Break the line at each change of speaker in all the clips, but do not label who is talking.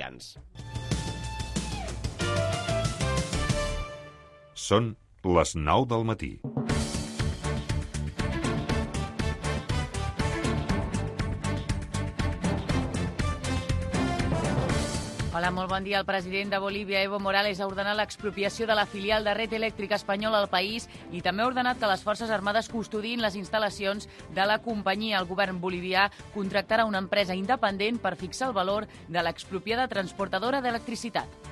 catalans. Són les 9 del matí.
Hola, molt bon dia. El president de Bolívia, Evo Morales, ha ordenat l'expropiació de la filial de Red Eléctrica Espanyola al país i també ha ordenat que les Forces Armades custodin les instal·lacions de la companyia. El govern bolivià contractarà una empresa independent per fixar el valor de l'expropiada transportadora d'electricitat.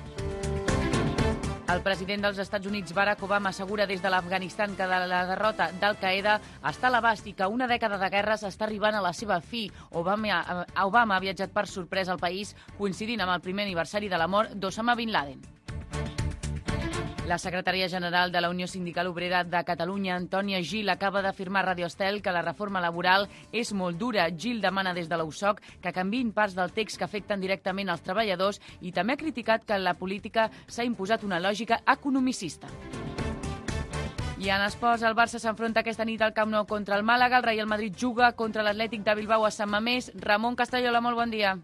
El president dels Estats Units, Barack Obama, assegura des de l'Afganistan que la derrota d'Al-Qaeda està a l'abast i que una dècada de guerres està arribant a la seva fi. Obama ha viatjat per sorpresa al país, coincidint amb el primer aniversari de la mort d'Osama Bin Laden. La secretària general de la Unió Sindical Obrera de Catalunya, Antònia Gil, acaba d'afirmar a Radio Estel que la reforma laboral és molt dura. Gil demana des de la USOC que canviïn parts del text que afecten directament als treballadors i també ha criticat que en la política s'ha imposat una lògica economicista. I en esports, el Barça s'enfronta aquesta nit al Camp Nou contra el Màlaga. El Real Madrid juga contra l'Atlètic de Bilbao a Sant Mamés. Ramon Castellola, molt bon dia.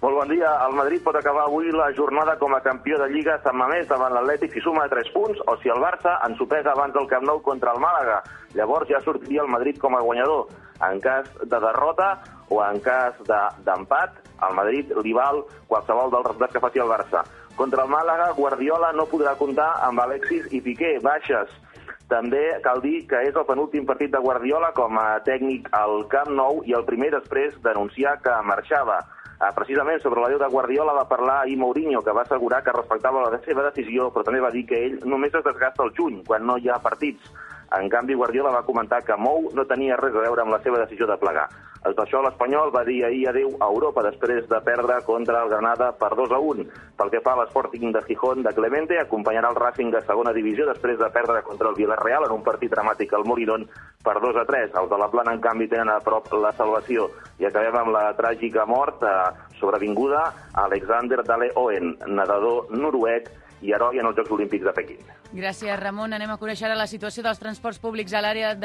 Molt bon dia. El Madrid pot acabar avui la jornada com a campió de Lliga a Sant Mamés davant l'Atlètic si suma 3 punts o si el Barça ensopega abans del Camp Nou contra el Màlaga. Llavors ja sortiria el Madrid com a guanyador. En cas de derrota o en cas d'empat, al Madrid li val qualsevol dels resultats que faci el Barça. Contra el Màlaga, Guardiola no podrà comptar amb Alexis i Piqué, baixes. També cal dir que és el penúltim partit de Guardiola com a tècnic al Camp Nou i el primer després d'anunciar que marxava. Precisament sobre l'adeu de Guardiola va parlar ahir Mourinho, que va assegurar que respectava la seva decisió, però també va dir que ell només es desgasta al juny, quan no hi ha partits. En canvi, Guardiola va comentar que Mou no tenia res a veure amb la seva decisió de plegar. Per això l'Espanyol va dir ahir adeu a Europa després de perdre contra el Granada per 2-1. Pel que fa a l'Sporting de Gijón de Clemente, acompanyarà el Racing de segona divisió després de perdre contra el Villarreal en un partit dramàtic al Molinón per 2-3. Els de la Plana, en canvi, tenen a prop la salvació. I acabem amb la tràgica mort sobrevinguda a Alexander Dale Oen, nedador noruec i heroi en els Jocs Olímpics de Pequín.
Gràcies, Ramon. Anem a conèixer ara la situació dels transports públics a l'àrea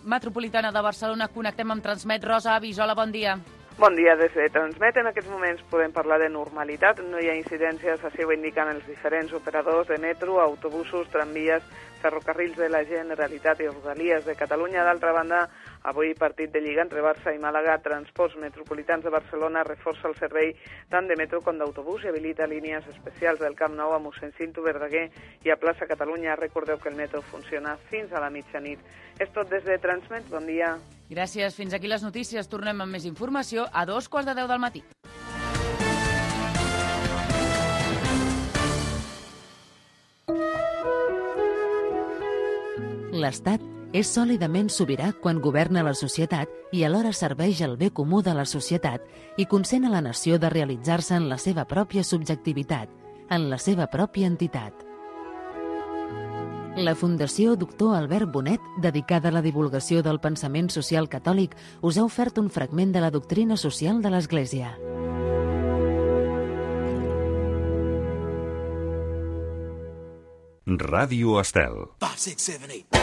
metropolitana de Barcelona. Connectem amb Transmet. Rosa Avis, hola, bon dia.
Bon dia, des de Transmet. En aquests moments podem parlar de normalitat. No hi ha incidències, així ho indiquen els diferents operadors de metro, autobusos, tramvies, ferrocarrils de la Generalitat i Rodalies de Catalunya. D'altra banda, avui partit de Lliga entre Barça i Màlaga. Transports Metropolitans de Barcelona reforça el servei tant de metro com d'autobús i habilita línies especials del Camp Nou a Mossèn Cinto Verdaguer i a Plaça Catalunya. Recordeu que el metro funciona fins a la mitjanit. És tot des de Transmet. Bon dia.
Gràcies. Fins aquí les notícies. Tornem amb més informació a 2:15 del matí.
L'Estat és sòlidament sobirà quan governa la societat i alhora serveix el bé comú de la societat i consent a la nació de realitzar-se en la seva pròpia subjectivitat, en la seva pròpia entitat. La Fundació Doctor Albert Bonet, dedicada a la divulgació del pensament social catòlic, us ha ofert un fragment de la doctrina social de l'Església.
Ràdio Estel.
5, 6, 7, 8.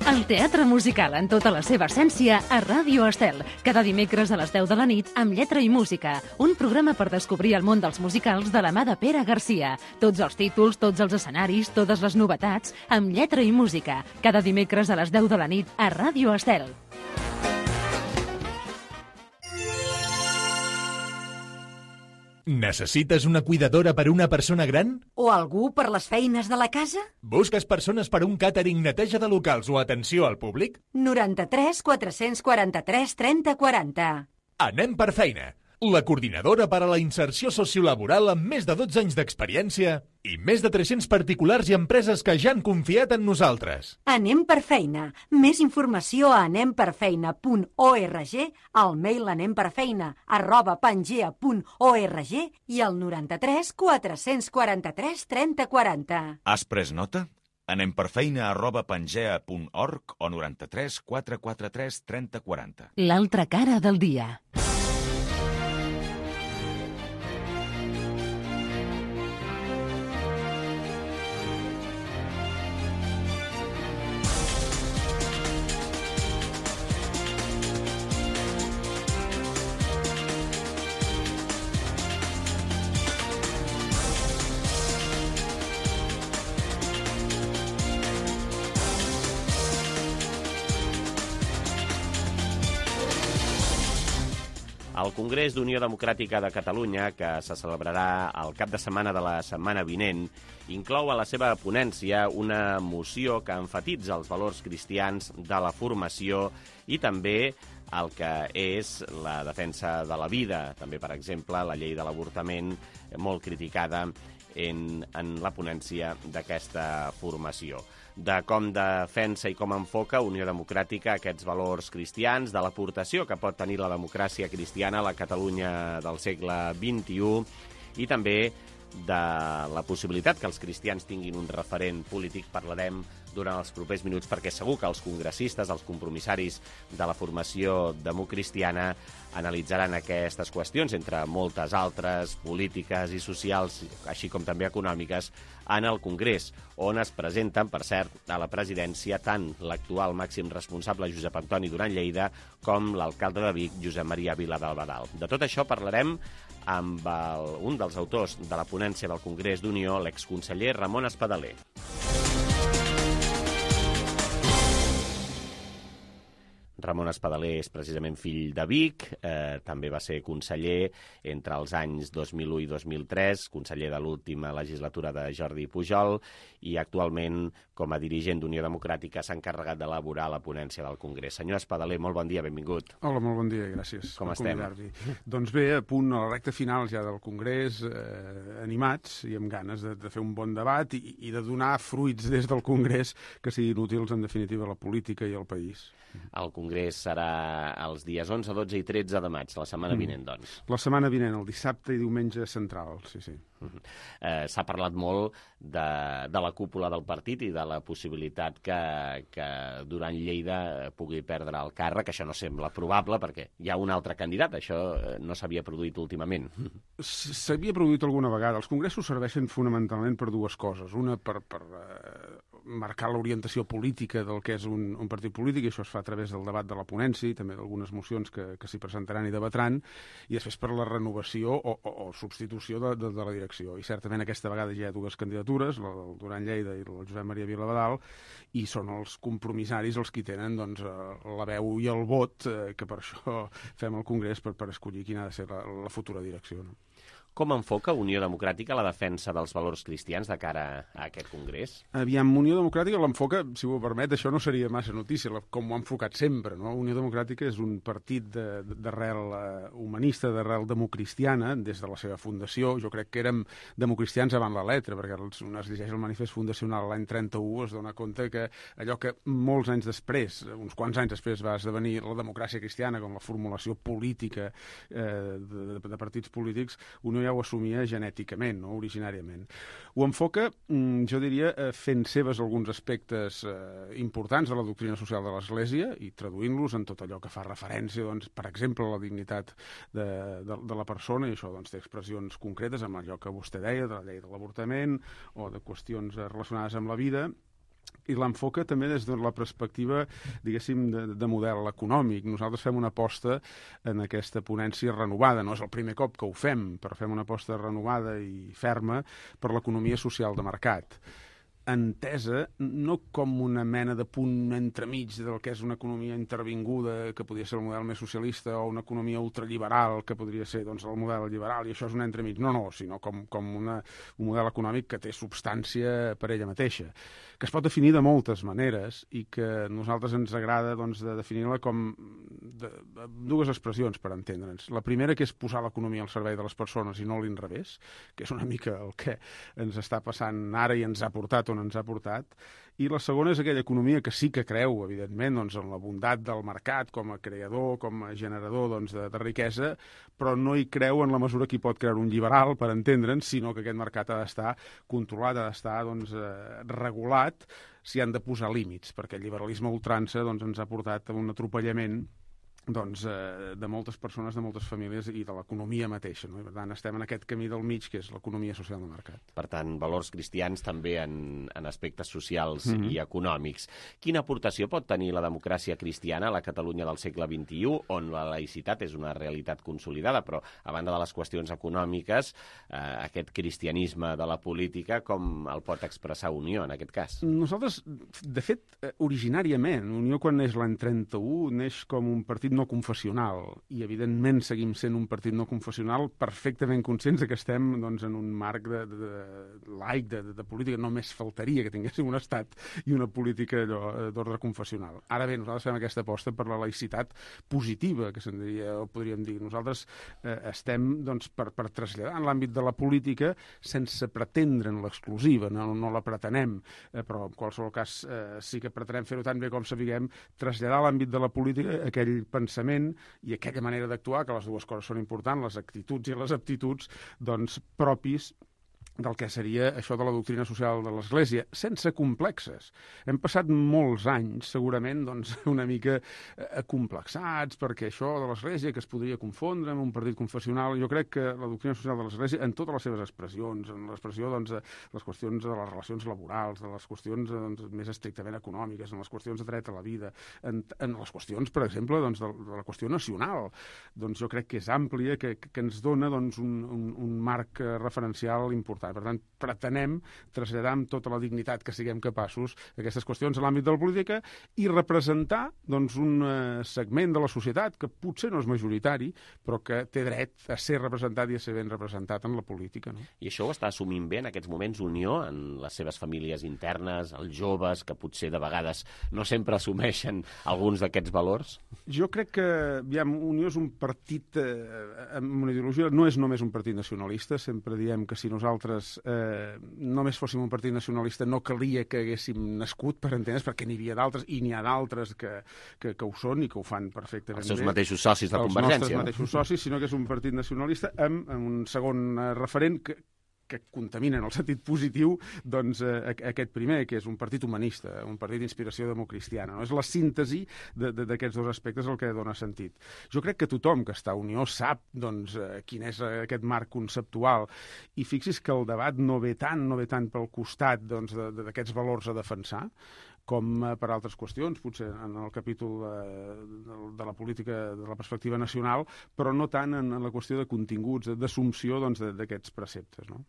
El teatre musical en tota la seva essència a Ràdio Estel. Cada dimecres a les 10 de la nit amb lletra i música. Un programa per descobrir el món dels musicals de la mà de Pere Garcia. Tots els títols, tots els escenaris, totes les novetats, amb lletra i música. Cada dimecres a les 10 de la nit a Ràdio Estel.
Necessites una cuidadora per a una persona gran?
O algú per les feines de la casa?
Busques persones per a un càtering, neteja de locals o atenció al públic?
93 443 30 40.
Anem per feina. La coordinadora per a la inserció sociolaboral amb més de 12 anys d'experiència i més de 300 particulars i empreses que ja han confiat en nosaltres.
Anem per feina. Més informació a anemperfeina.org, al mail anemperfeina@pangea.org i al 93 443 30 40.
Has pres nota? anemperfeina@pangea.org o 93 443 30 40.
L'altra cara del dia.
El Congrés d'Unió Democràtica de Catalunya, que se celebrarà el cap de setmana de la setmana vinent, inclou a la seva ponència una moció que emfatitza els valors cristians de la formació i també el que és la defensa de la vida. També, per exemple, la llei de l'avortament, molt criticada en la ponència d'aquesta formació. De com defensa i com enfoca Unió Democràtica aquests valors cristians, de l'aportació que pot tenir la democràcia cristiana a la Catalunya del segle XXI i també de la possibilitat que els cristians tinguin un referent polític. Parlarem durant els propers minuts perquè segur que els congressistes, els compromissaris de la formació democristiana analitzaran aquestes qüestions, entre moltes altres polítiques i socials, així com també econòmiques, en el Congrés, on es presenten, per cert, a la presidència tant l'actual màxim responsable Josep Antoni Duran Lleida com l'alcalde de Vic, Josep Maria Viladalbadal. De tot això parlarem amb un dels autors de la ponència del Congrés d'Unió, l'exconseller Ramon Espadaler. Ramon Espadaler és precisament fill de Vic, també va ser conseller entre els anys 2001 i 2003, conseller de l'última legislatura de Jordi Pujol, i actualment, com a dirigent d'Unió Democràtica, s'ha encarregat d'elaborar la ponència del Congrés. Senyor Espadaler, molt bon dia, benvingut.
Hola, molt bon dia, gràcies.
Com estem?
Doncs bé, a punt a la recta final ja del Congrés, animats i amb ganes de fer un bon debat i de donar fruits des del Congrés que siguin útils, en definitiva, a la política i al país.
El Congrés serà els dies 11, 12 i 13 de maig, la setmana vinent, doncs.
La setmana vinent, el dissabte i diumenge central, sí.
S'ha parlat molt de la cúpula del partit i de la possibilitat que Duran Lleida pugui perdre el càrrec. Això no sembla probable perquè hi ha un altre candidat. Això no s'havia produït últimament.
S'havia produït alguna vegada. Els congressos serveixen fonamentalment per dues coses. Una, per marcar l'orientació política del que és un partit polític, i això es fa a través del debat de la ponència i també d'algunes mocions que s'hi presentaran i debatran, i després per la renovació o substitució de la direcció. I certament aquesta vegada ja hi ha dues candidatures, la del Duran Lleida i la Josep Maria Viladalbadal, i són els compromissaris els qui tenen la veu i el vot, que per això fem el Congrés per escollir quina ha de ser la futura direcció.
Com enfoca Unió Democràtica la defensa dels valors cristians de cara a aquest Congrés?
Aviam, Unió Democràtica l'enfoca, si m'ho permet, això no seria massa notícia, com ho ha enfocat sempre, no? Unió Democràtica és un partit d'arrel humanista, d'arrel democristiana, des de la seva fundació. Jo crec que érem democristians avant la letra, perquè un es llegeix el manifest fundacional l'any 31, es dona compte que allò que molts anys després, uns quants anys després, va esdevenir la democràcia cristiana com la formulació política de partits polítics, Unió ja ho assumia genèticament, no? Originàriament. Ho enfoca, jo diria, fent seves alguns aspectes importants de la doctrina social de l'Església i traduint-los en tot allò que fa referència, per exemple, a la dignitat de la persona, i això té expressions concretes amb allò que vostè deia, de la llei de l'avortament o de qüestions relacionades amb la vida, i l'enfoca també des de la perspectiva, diguéssim, de model econòmic. Nosaltres fem una aposta en aquesta ponència renovada. No és el primer cop que ho fem, però fem una aposta renovada i ferma per l'economia social de mercat. Entesa no com una mena de punt entremig del que és una economia intervinguda, que podria ser el model més socialista, o una economia ultraliberal, que podria ser el model liberal, i això és un entremig. No, sinó com un model econòmic que té substància per ella mateixa, que es pot definir de moltes maneres i que a nosaltres ens agrada de definir-la com dues expressions per entendre'ns. La primera, que és posar l'economia al servei de les persones i no a l'inrevés, que és una mica el que ens està passant ara i ens ha portat on ens ha portat. I la segona és aquella economia que sí que creu, evidentment, en la bondat del mercat com a creador, com a generador de riquesa, però no hi creu en la mesura que hi pot crear un liberal, per entendre'ns, sinó que aquest mercat ha d'estar controlat, ha d'estar regulat, s'hi han de posar límits, perquè el liberalisme a ultrança ens ha portat a un atropellament de moltes persones, de moltes famílies i de l'economia mateixa, no? I per tant estem en aquest camí del mig, que és l'economia social de mercat.
Per tant, valors cristians també en aspectes socials i econòmics. Quina aportació pot tenir la democràcia cristiana a la Catalunya del segle XXI, on la laïcitat és una realitat consolidada, però a banda de les qüestions econòmiques, aquest cristianisme de la política, com el pot expressar Unió en aquest cas?
Nosaltres, de fet, originàriament, Unió quan neix l'any 31, neix com un partit no confessional, i evidentment seguim sent un partit no confessional perfectament conscients que estem doncs, en un marc laic, de política. Només faltaria que tinguéssim un estat i una política d'ordre confessional. Ara bé, nosaltres fem aquesta aposta per la laïcitat positiva, que se'n diria, o podríem dir. Nosaltres estem doncs, per traslladar en l'àmbit de la política sense pretendre en l'exclusiva, no la pretenem, però en qualsevol cas sí que pretenem fer-ho tan bé com sapiguem, traslladar a l'àmbit de la política aquell pensament i aquella manera d'actuar, que les dues coses són importants, les actituds i les aptituds, doncs, propis del que seria això de la doctrina social de l'Església, sense complexes. Hem passat molts anys, segurament, doncs, una mica acomplexats, perquè això de l'Església, que es podria confondre amb un partit confessional, jo crec que la doctrina social de l'Església, en totes les seves expressions, en l'expressió doncs, de les qüestions de les relacions laborals, de les qüestions doncs, més estrictament econòmiques, en les qüestions de dret a la vida, en les qüestions, per exemple, doncs, de la qüestió nacional, doncs jo crec que és àmplia, que ens dona doncs, un marc referencial important. Per tant, pretenem traslladar amb tota la dignitat que siguem capaços aquestes qüestions a l'àmbit de la política i representar doncs, un segment de la societat que potser no és majoritari, però que té dret a ser representat i a ser ben representat en la política. No?
I això ho està assumint bé en aquests moments Unió, en les seves famílies internes, els joves, que potser de vegades no sempre assumeixen alguns d'aquests valors?
Jo crec que Unió és un partit amb una ideologia, no és només un partit nacionalista, sempre diem que si nosaltres només fóssim un partit nacionalista no calia que haguéssim nascut, per entendre's, perquè n'hi havia d'altres, i n'hi ha d'altres que ho són i que ho fan perfectament bé.
Els seus mateixos socis de Convergència.
Els nostres mateixos socis, sinó que és un partit nacionalista amb un segon referent que contamina en el sentit positiu doncs, aquest primer, que és un partit humanista, un partit d'inspiració democristiana. No? És la síntesi d'aquests dos aspectes el que dona sentit. Jo crec que tothom que està a Unió sap doncs, quin és aquest marc conceptual, i fixi's que el debat no ve tant pel costat doncs, d'aquests valors a defensar, com per altres qüestions, potser en el capítol de la política de la perspectiva nacional, però no tant en la qüestió de continguts, d'assumpció doncs, d'aquests preceptes. No?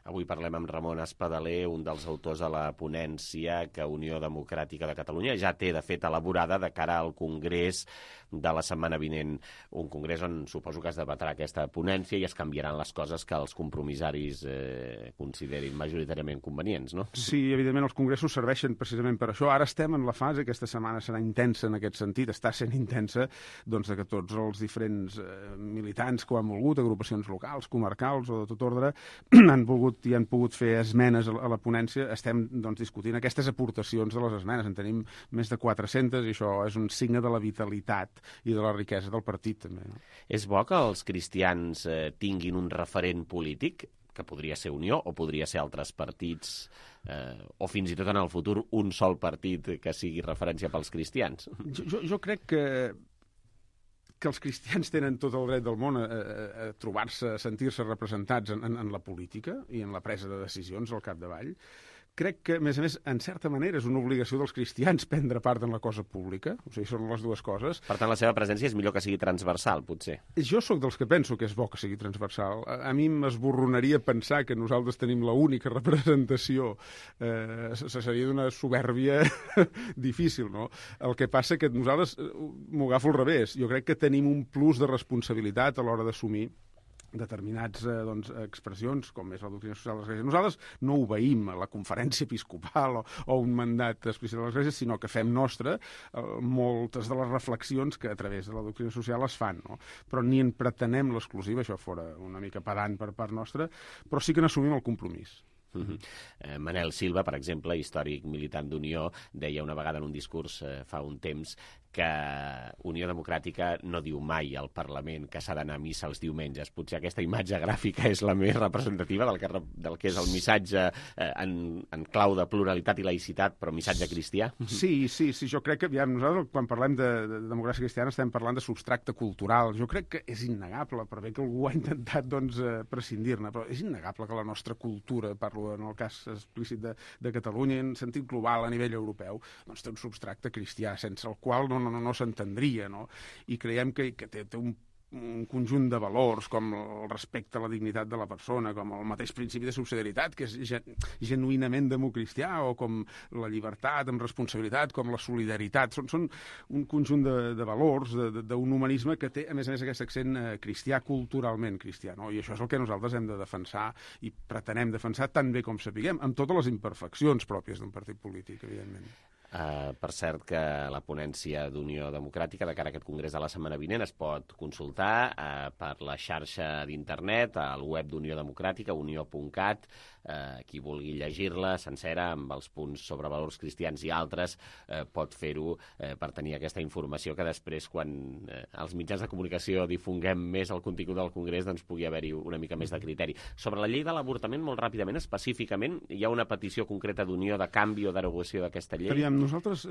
Avui parlem amb Ramon Espadaler, un dels autors de la ponència que Unió Democràtica de Catalunya ja té, de fet, elaborada de cara al Congrés de la setmana vinent. Un congrés on suposo que es debatrà aquesta ponència i es canviaran les coses que els compromissaris considerin majoritàriament convenients, no?
Sí, evidentment els congressos serveixen precisament per això. Ara estem en la fase, aquesta setmana serà intensa en aquest sentit, està sent intensa, doncs, que tots els diferents militants que ho han volgut, agrupacions locals, comarcals o de tot ordre, han volgut i han pogut fer esmenes a la ponència. Estem doncs, discutint aquestes aportacions de les esmenes. En tenim més de 400 i això és un signe de la vitalitat i de la riquesa del partit, també. No?
És bo que els cristians tinguin un referent polític, que podria ser Unió o podria ser altres partits, o fins i tot en el futur un sol partit que sigui referència pels cristians?
Jo crec que els cristians tenen tot el dret del món a trobar-se, a sentir-se representats en la política i en la presa de decisions al capdavall. Crec que, a més, en certa manera és una obligació dels cristians prendre part en la cosa pública, o sigui, són les dues coses.
Per tant, la seva presència és millor que sigui transversal, potser.
Jo sóc dels que penso que és bo que sigui transversal. A mi m'esborronaria pensar que nosaltres tenim l'única representació. Seria d'una soberbia difícil, no? El que passa que nosaltres m'ho agafo al revés. Jo crec que tenim un plus de responsabilitat a l'hora d'assumir determinats expressions, com és la doctrina social de l'Església. Nosaltres no obeïm a la conferència episcopal o un mandat explícit de l'Església, sinó que fem nostre moltes de les reflexions que a través de la doctrina social es fan. No? Però ni en pretenem l'exclusiva, això fora una mica pedant per part nostra, però sí que n'assumim el compromís.
Manel Silva, per exemple, històric militant d'Unió, deia una vegada en un discurs fa un temps que Unió Democràtica no diu mai al Parlament que s'ha d'anar a missa els diumenges. Potser aquesta imatge gràfica és la més representativa del que és el missatge en clau de pluralitat i laïcitat, però missatge cristià.
Sí, jo crec que nosaltres quan parlem de democràcia cristiana estem parlant de substracte cultural. Jo crec que és innegable, per bé que algú ha intentat prescindir-ne, però és innegable que la nostra cultura, parlo en el cas explícit de Catalunya, en sentit global a nivell europeu, doncs té un substracte cristià, sense el qual no s'entendria, no? I creiem que té un un conjunt de valors com el respecte a la dignitat de la persona, com el mateix principi de subsidiarietat, que és genuïnament democristià, o com la llibertat amb responsabilitat, com la solidaritat. Són un conjunt de valors, d'un humanisme que té, a més aquest accent cristià, culturalment cristià, no? I això és el que nosaltres hem de defensar i pretenem defensar tan bé com sapiguem, amb totes les imperfeccions pròpies d'un partit polític, evidentment.
Per cert, que la ponència d'Unió Democràtica de cara a aquest congrés de la setmana vinent es pot consultar per la xarxa d'internet, al web d'Unió Democràtica, unió.cat. Qui vulgui llegir-la sencera, amb els punts sobre valors cristians i altres, pot fer-ho per tenir aquesta informació que després, quan els mitjans de comunicació difonguem més el contingut del congrés, doncs pugui haver-hi una mica més de criteri. Sobre la llei de l'avortament, molt ràpidament, específicament, hi ha una petició concreta d'Unió de canvi o derogació d'aquesta llei?
Nosaltres,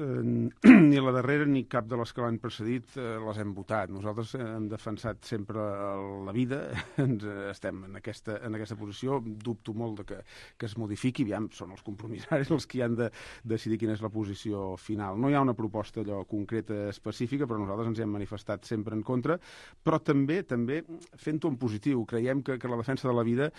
ni la darrera ni cap de les que l'han precedit les hem votat. Nosaltres hem defensat sempre la vida, estem en aquesta posició, dubto molt de que es modifiqui, són els compromissaris els que han de decidir quina és la posició final. No hi ha una proposta concreta específica, però nosaltres ens hi hem manifestat sempre en contra, però també fent-ho en positiu. Creiem que la defensa de la vida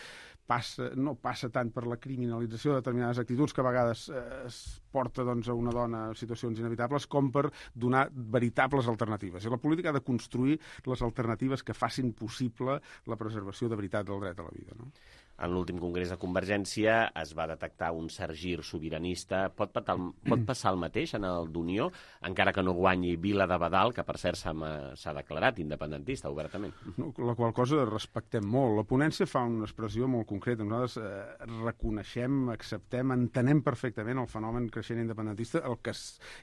no passa tant per la criminalització de determinades actituds que a vegades es porta a una dona en situacions inevitables, com per donar veritables alternatives. I la política ha de construir les alternatives que facin possible la preservació de veritat del dret a la vida, no?
En l'últim congrés de Convergència es va detectar un cert gir sobiranista. Pot passar el mateix en el d'Unió, encara que no guanyi Vila de Badal, que per cert s'ha declarat independentista obertament?
La qual cosa respectem molt. La ponència fa una expressió molt concreta. Nosaltres reconeixem, acceptem, entenem perfectament el fenomen creixent independentista, el que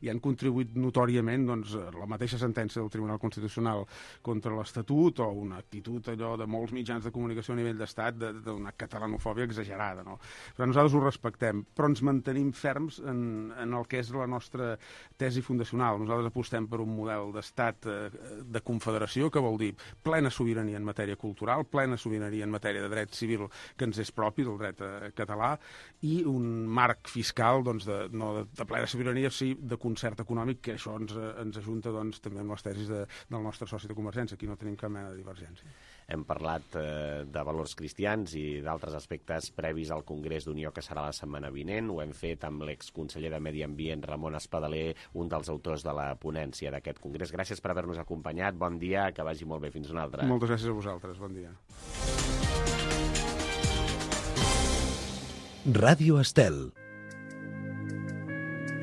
hi han contribuït notòriament la mateixa sentència del Tribunal Constitucional contra l'Estatut, o una actitud allò de molts mitjans de comunicació a nivell d'estat d'una catalanofòbia exagerada, no? Però nosaltres ho respectem, però ens mantenim ferms en el que és la nostra tesi fundacional. Nosaltres apostem per un model d'estat de confederació, que vol dir plena sobirania en matèria cultural, plena sobirania en matèria de dret civil que ens és propi, del dret català, i un marc fiscal no de plena sobirania, sí de concert econòmic, que això ens ajunta també amb les tesis del nostre soci de Convergència. Aquí no tenim cap mena de divergència.
Hem parlat de valors cristians i d'altres aspectes previs al Congrés d'Unió, que serà la setmana vinent. Ho hem fet amb l'exconseller de Medi Ambient, Ramon Espadaler, un dels autors de la ponència d'aquest congrés. Gràcies per haver-nos acompanyat. Bon dia, que vagi molt bé. Fins una altra.
Moltes gràcies a vosaltres. Bon dia.
Ràdio Estel.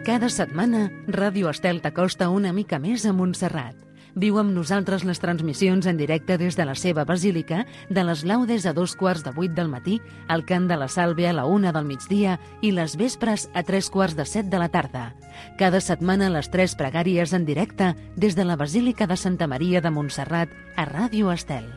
Cada setmana, Ràdio Estel t'acosta una mica més a Montserrat. Viu amb nosaltres les transmissions en directe des de la seva basílica, de les laudes a 7:45 del matí, el cant de la Sàlvia a la 1 del migdia i les vespres a 6:45 de la tarda. Cada setmana les 3 pregàries en directe des de la Basílica de Santa Maria de Montserrat a Ràdio Estel.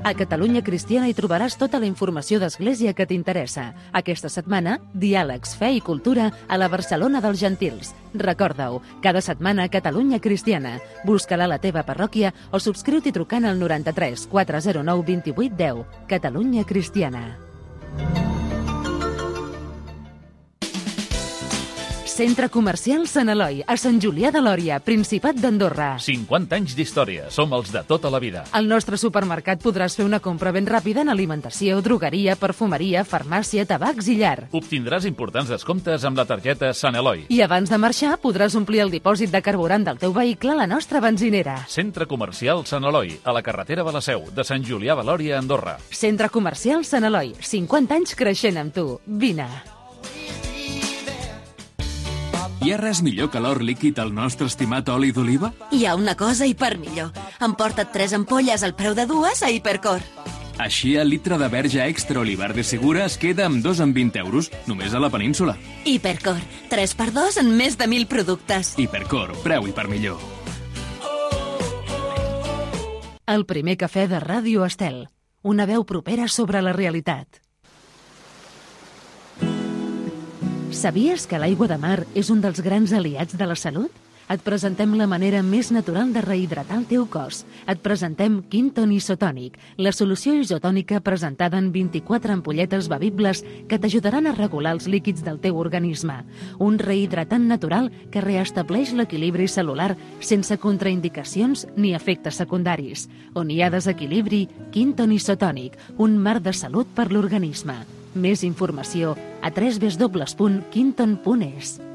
A Catalunya Cristiana hi trobaràs tota la informació d'Església que t'interessa. Aquesta setmana, diàlegs, fe i cultura a la Barcelona dels Gentils. Recorda-ho, cada setmana a Catalunya Cristiana. Busca-la a la teva parròquia o subscriu-t'hi trucant al 93 409 28 10. Catalunya Cristiana. Centre Comercial Sant Eloi, a Sant Julià de Lòria, Principat d'Andorra.
50 anys d'història, som els de tota la vida.
Al nostre supermercat podràs fer una compra ben ràpida en alimentació, drogueria, perfumeria, farmàcia, tabacs i llar.
Obtindràs importants descomptes amb la targeta Sant Eloi.
I abans de marxar podràs omplir el dipòsit de carburant del teu vehicle a la nostra benzinera.
Centre Comercial Sant Eloi, a la carretera de la Seu, de Sant Julià de Lòria, Andorra.
Centre Comercial Sant Eloi, 50 anys creixent amb tu. Vine.
Hi ha res millor que l'or líquid al nostre estimat oli d'oliva?
Hi ha una cosa hiper millor. Emporta't 3 ampolles al preu de 2 a Hipercor.
Així el litre de verge extra olivar de Segura es queda amb 2 en 20 euros, només a la península.
Hipercor, 3x2 en més de 1.000 productes.
Hipercor, preu hiper millor.
El primer cafè de Ràdio Estel. Una veu propera sobre la realitat. Sabies que l'aigua de mar és un dels grans aliats de la salut? Et presentem la manera més natural de rehidratar el teu cos. Et presentem Quinton Isotònic, la solució isotònica presentada en 24 ampolletes bevibles que t'ajudaran a regular els líquids del teu organisme. Un rehidratant natural que reestableix l'equilibri celular sense contraindicacions ni efectes secundaris. On hi ha desequilibri, Quinton Isotònic, un mar de salut per l'organisme. Més informació a www.quinton.es.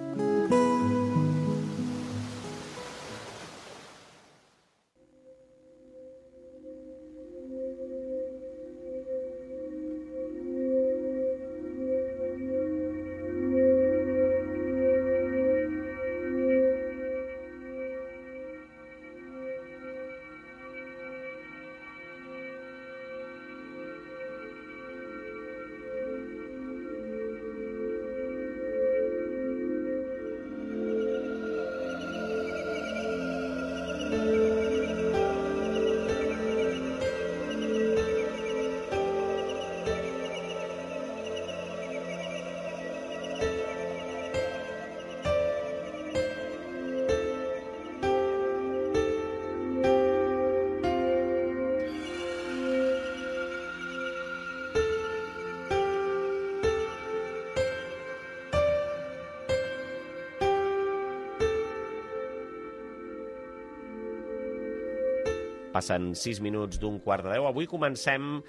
Passen 6 minuts d'un 9:15. Avui comencem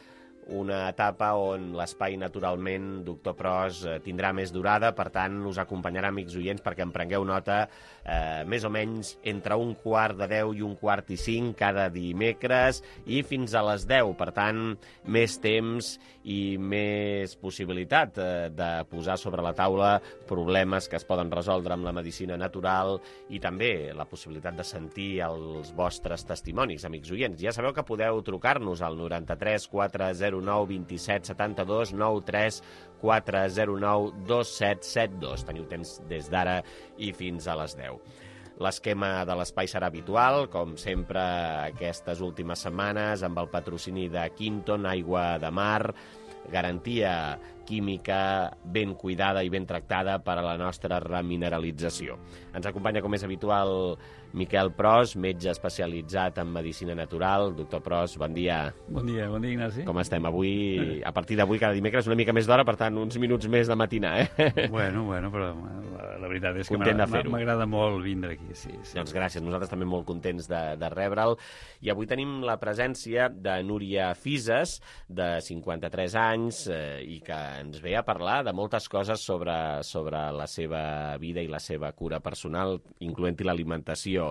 una etapa on l'espai, naturalment, Doctor Pros, tindrà més durada, per tant, us acompanyarà, amics oients, perquè en prengueu nota, més o menys entre 9:45 i 9:45 cada dimecres i fins a les 10. Per tant, més temps i més possibilitat de posar sobre la taula problemes que es poden resoldre amb la medicina natural i també la possibilitat de sentir els vostres testimonis, amics oients. Ja sabeu que podeu trucar-nos al 93 409 27 72 93 409 2772. Teniu temps des d'ara i fins a les 10. L'esquema de l'espai serà habitual, com sempre aquestes últimes setmanes, amb el patrocini de Quinton, aigua de mar, garantia química ben cuidada i ben tractada per a la nostra remineralització. Ens acompanya, com és habitual, Miquel Pros, metge especialitzat en medicina natural. Doctor Pros, bon dia.
Bon dia, Ignasi.
Com estem? Avui, a partir d'avui, cada dimecres, una mica més d'hora, per tant, uns minuts més de matinar,
Bueno, però la veritat és que m'agrada molt vindre aquí, sí.
Doncs gràcies, nosaltres també molt contents de rebre'l. I avui tenim la presència de Núria Fises, de 53 anys, i que ens ve a parlar de moltes coses sobre la seva vida i la seva cura personal, incloent-hi l'alimentació.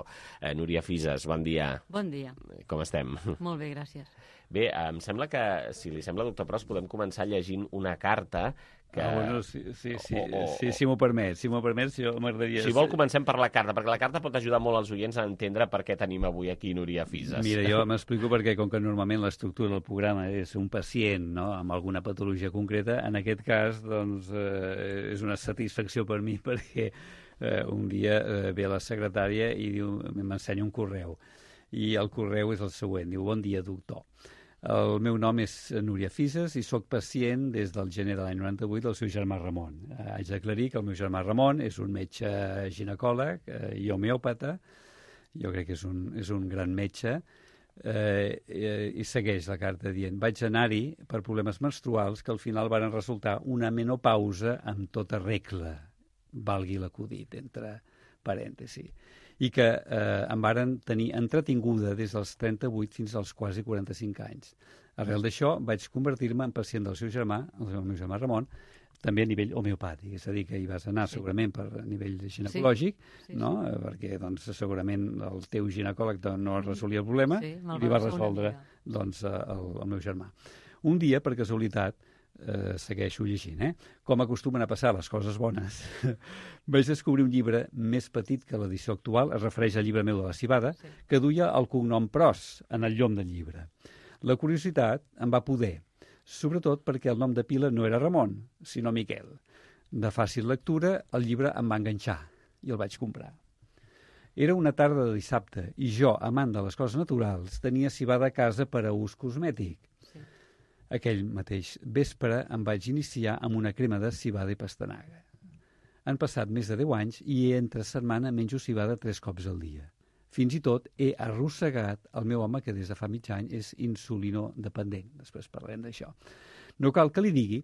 Núria Fises, bon dia.
Bon dia.
Com estem?
Molt bé, gràcies.
Bé, em sembla que, si li sembla, doctor Pros, podem començar llegint una carta que...
Bueno, si m'ho permet, jo m'agradaria...
Si vol, comencem per la carta, perquè la carta pot ajudar molt als oients a entendre per què tenim avui aquí Núria Fises.
Mira, jo m'explico perquè, com que normalment l'estructura del programa és un pacient, no?, amb alguna patologia concreta, en aquest cas, doncs, és una satisfacció per mi, perquè un dia ve la secretària i diu, m'ensenya un correu, i el correu és el següent, diu, bon dia, doctor. El meu nom és Núria Fises i sóc pacient des del gener de l'any 98 del seu germà Ramon. Haig d'aclarir que el meu germà Ramon és un metge ginecòleg i homeòpata, jo crec que és un gran metge, i segueix la carta dient, vaig anar-hi per problemes menstruals que al final van resultar una menopausa amb tota regla, valgui l'acudit, entre parèntesis, i que em varen tenir entretinguda des dels 38 fins als quasi 45 anys. Arrel d'això vaig convertir-me en pacient del seu germà, el meu germà Ramon, també a nivell homeopàtic, és a dir, que hi vas anar segurament per a nivell ginecològic, no? Perquè doncs, segurament el teu ginecòleg no resolia el problema i li va resoldre doncs, el meu germà. Un dia, per casualitat, segueixo llegint, com acostumen a passar les coses bones, vaig descobrir un llibre més petit que l'edició actual, es refereix al llibre meu de la Civada, que duia el cognom Pros en el llom del llibre. La curiositat em va poder, sobretot perquè el nom de pila no era Ramon, sinó Miquel. De fàcil lectura, el llibre em va enganxar i el vaig comprar. Era una tarda de dissabte i jo, amant de les coses naturals, tenia civada a casa per a ús cosmètic. Aquell mateix vespre em vaig iniciar amb una crema de civada i pastanaga. Han passat més de 10 anys i entre setmana menjo civada 3 cops al dia. Fins i tot he arrossegat el meu home, que des de fa mig any és insulinodependent. Després parlem d'això. No cal que li digui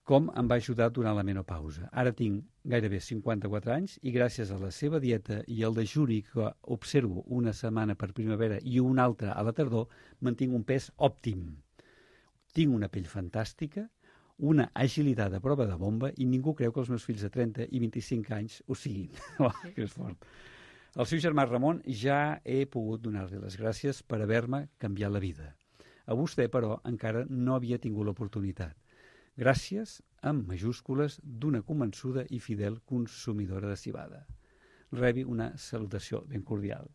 com em va ajudar durant la menopausa. Ara tinc gairebé 54 anys i gràcies a la seva dieta i el dejuni que observo una setmana per primavera i una altra a la tardor, mantinc un pes òptim. Tinc una pell fantàstica, una agilitat a prova de bomba i ningú creu que els meus fills de 30 i 25 anys ho siguin. Oh, que és fort. Al seu germà Ramon ja he pogut donar-li les gràcies per haver-me canviat la vida. A vostè, però, encara no havia tingut l'oportunitat. Gràcies, amb majúscules, d'una convençuda i fidel consumidora de civada. Rebi una salutació ben cordial.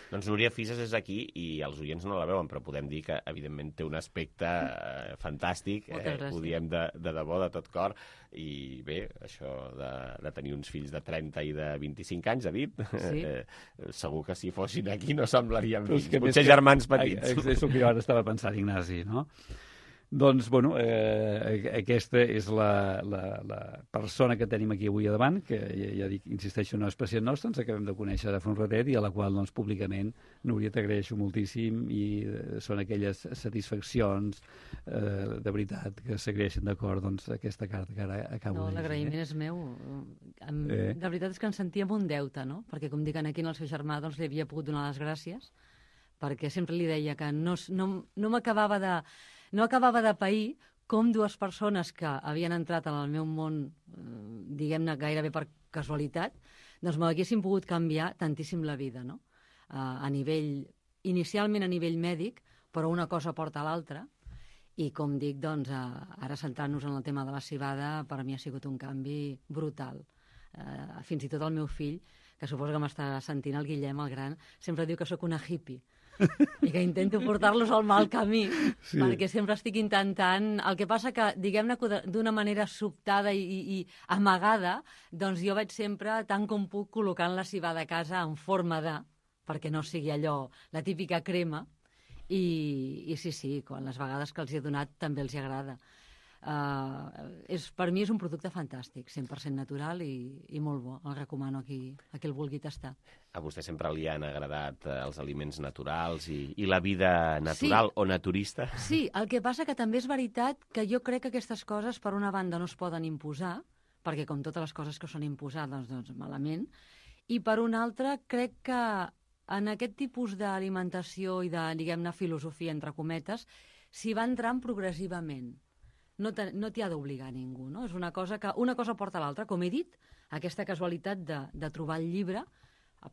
Doncs Núria Fisas és aquí i els oients no la veuen, però podem dir que, evidentment, té un aspecte fantàstic. Ho diem de debò, de tot cor. I bé, això de tenir uns fills de 30 i de 25 anys, ha dit? Sí. Segur que si fossin aquí no semblarien fills, potser germans petits.
És el que jo ara estava pensant, Ignasi, no? Doncs, bueno, aquesta és la persona que tenim aquí avui a davant, que ja dic, insisteixo, no és pacient nostre, ens acabem de conèixer de fa un ratet i a la qual, doncs, públicament, Núria, t'agraeixo moltíssim i són aquelles satisfaccions de veritat que s'agraeixen d'acord, doncs, aquesta carta que ara acabo de llegir.
No, l'agraïment és meu. De veritat és que ens sentíem un deute, no? Perquè, com dic aquí, el seu germà, doncs, li havia pogut donar les gràcies, perquè sempre li deia que no m'acabava de... No acabava de pair com dues persones que havien entrat en el meu món, diguem-ne, gairebé per casualitat, doncs m'haguessin pogut canviar tantíssim la vida, no? Inicialment a nivell mèdic, però una cosa porta a l'altra, i com dic, doncs, ara centrant-nos en el tema de la civada, per a mi ha sigut un canvi brutal. Fins i tot el meu fill, que suposo que m'està sentint, el Guillem, el gran, sempre diu que sóc una hippie, i que intento portar-los al mal camí, sí. Perquè sempre estic intentant... El que passa que, diguem-ne, d'una manera sobtada i amagada, doncs jo vaig sempre, tant com puc, col·locant la civada a casa en forma de, perquè no sigui allò, la típica crema, i sí, quan les vegades que els he donat també els agrada. Per mi és un producte fantàstic, 100% natural i molt bo. El recomano a qui el vulgui tastar.
A vostè sempre li han agradat els aliments naturals i la vida natural, sí, o naturista?
Sí, el que passa que també és veritat que jo crec que aquestes coses, per una banda, no es poden imposar, perquè com totes les coses que són imposades, doncs malament, i per una altra, crec que en aquest tipus d'alimentació i de, diguem-ne, filosofia, entre cometes, s'hi va entrant progressivament. No t'hi ha d'obligar ningú, no? És una cosa porta a l'altra. Com he dit, aquesta casualitat de trobar el llibre,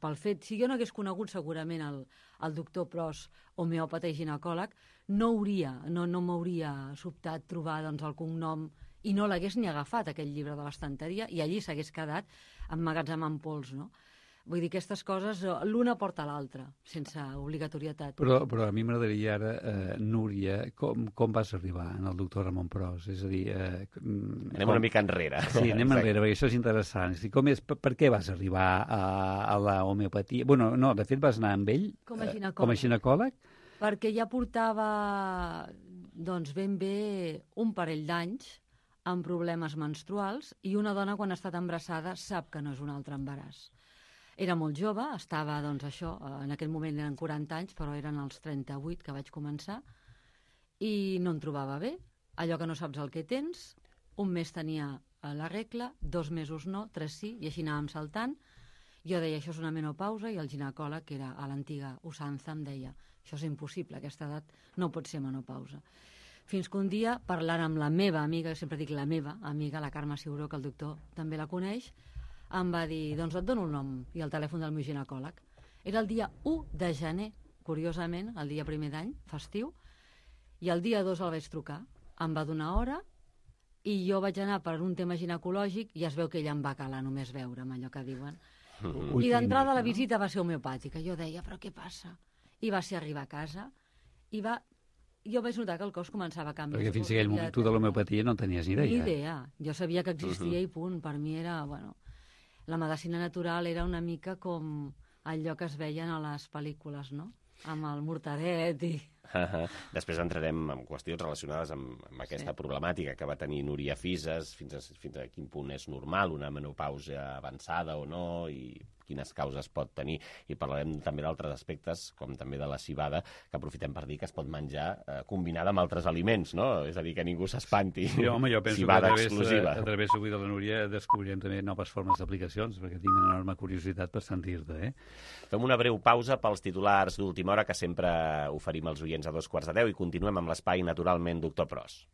pel fet, si jo no hagués conegut segurament el doctor Pros, homeòpata i ginecòleg, no m'hauria sobtat trobar, doncs, el cognom i no l'hagués ni agafat, aquell llibre de l'estanteria, i allí s'hagués quedat emmagatzemant pols, no? Vull dir, aquestes coses, l'una porta a l'altra, sense obligatorietat.
Però a mi m'agradaria ara, Núria, com vas arribar en el doctor Ramon Pros? És a dir...
Anem una mica enrere.
Sí, anem enrere, perquè això és interessant. Per què vas arribar a la homeopatia? Bueno, no, de fet vas anar amb ell
com a
ginecòleg?
Perquè ja portava, doncs, ben bé un parell d'anys amb problemes menstruals i una dona, quan ha estat embarassada, sap que no és un altre embaràs. Era molt jove, estava, doncs, això, en aquell moment eren 40 anys, però eren els 38 que vaig començar, i no em trobava bé. Allò que no saps el que tens, un mes tenia la regla, 2 mesos no, 3 sí, i així anàvem saltant. Jo deia, això és una menopausa, i el ginecòleg, que era a l'antiga usança, em deia, això és impossible, aquesta edat no pot ser menopausa. Fins que un dia, parlant amb la meva amiga, sempre dic la meva amiga, la Carme Ciuró, que el doctor també la coneix, em va dir, doncs et dono el nom i el telèfon del meu ginecòleg. Era el dia 1 de gener, curiosament, el dia primer d'any, festiu, i el dia 2 el vaig trucar. Em va donar hora i jo vaig anar per un tema ginecològic i es veu que ella em va calar només veure'm, allò que diuen. I d'entrada la visita va ser homeopàtica. Jo deia, però què passa? I va ser arribar a casa i jo vaig notar que el cos començava a canviar.
Perquè fins a aquell moment tu de l'homeopatia no tenies ni idea.
Ni idea. Jo sabia que existia i punt. Per mi era, bueno... La medicina natural era una mica com allò que es veien a les pel·lícules, no? Amb el mortadet i...
Després entrarem en qüestions relacionades amb aquesta problemàtica que va tenir Núria Fises, fins a quin punt és normal una menopausa avançada o no, i quines causes pot tenir. I parlarem també d'altres aspectes, com també de la civada, que aprofitem per dir que es pot menjar combinada amb altres aliments, no? És a dir, que ningú s'espanti.
Sí, home, jo penso
civada
que
exclusiva.
a través avui de la Núria descobrirem també noves formes d'aplicacions, perquè tinc una enorme curiositat per sentir-te,
Fem una breu pausa pels titulars d'última hora que sempre oferim als oients a 2:15 i continuem amb l'espai Naturalment Doctor Pros.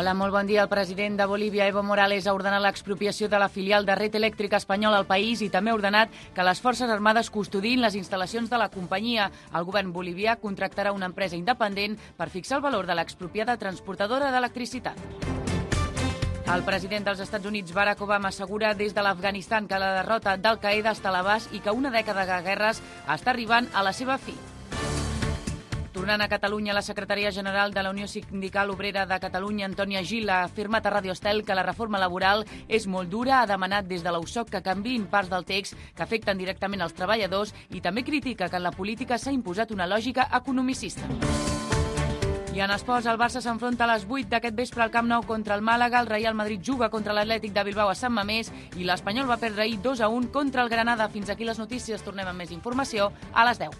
Hola, molt bon dia. El president de Bolívia, Evo Morales, ha ordenat l'expropiació de la filial de Red Eléctrica Espanyola al país i també ha ordenat que les Forces Armades custodin les instal·lacions de la companyia. El govern bolivià contractarà una empresa independent per fixar el valor de l'expropiada transportadora d'electricitat. El president dels Estats Units, Barack Obama, assegura des de l'Afganistan que la derrota d'Al-Qaeda està a l'abast i que una dècada de guerres està arribant a la seva fi. Tornant a Catalunya, la secretària general de la Unió Sindical Obrera de Catalunya, Antònia Gil, ha afirmat a Radio Estel que la reforma laboral és molt dura, ha demanat des de l'USOC que canviïn parts del text que afecten directament els treballadors i també critica que en la política s'ha imposat una lògica economicista. I en esports, el Barça s'enfronta a les 8 d'aquest vespre al Camp Nou contra el Màlaga, el Real Madrid juga contra l'Atlètic de Bilbao a Sant Mamés i l'Espanyol va perdre ahir 2-1 contra el Granada. Fins aquí les notícies, tornem amb més informació a les 10.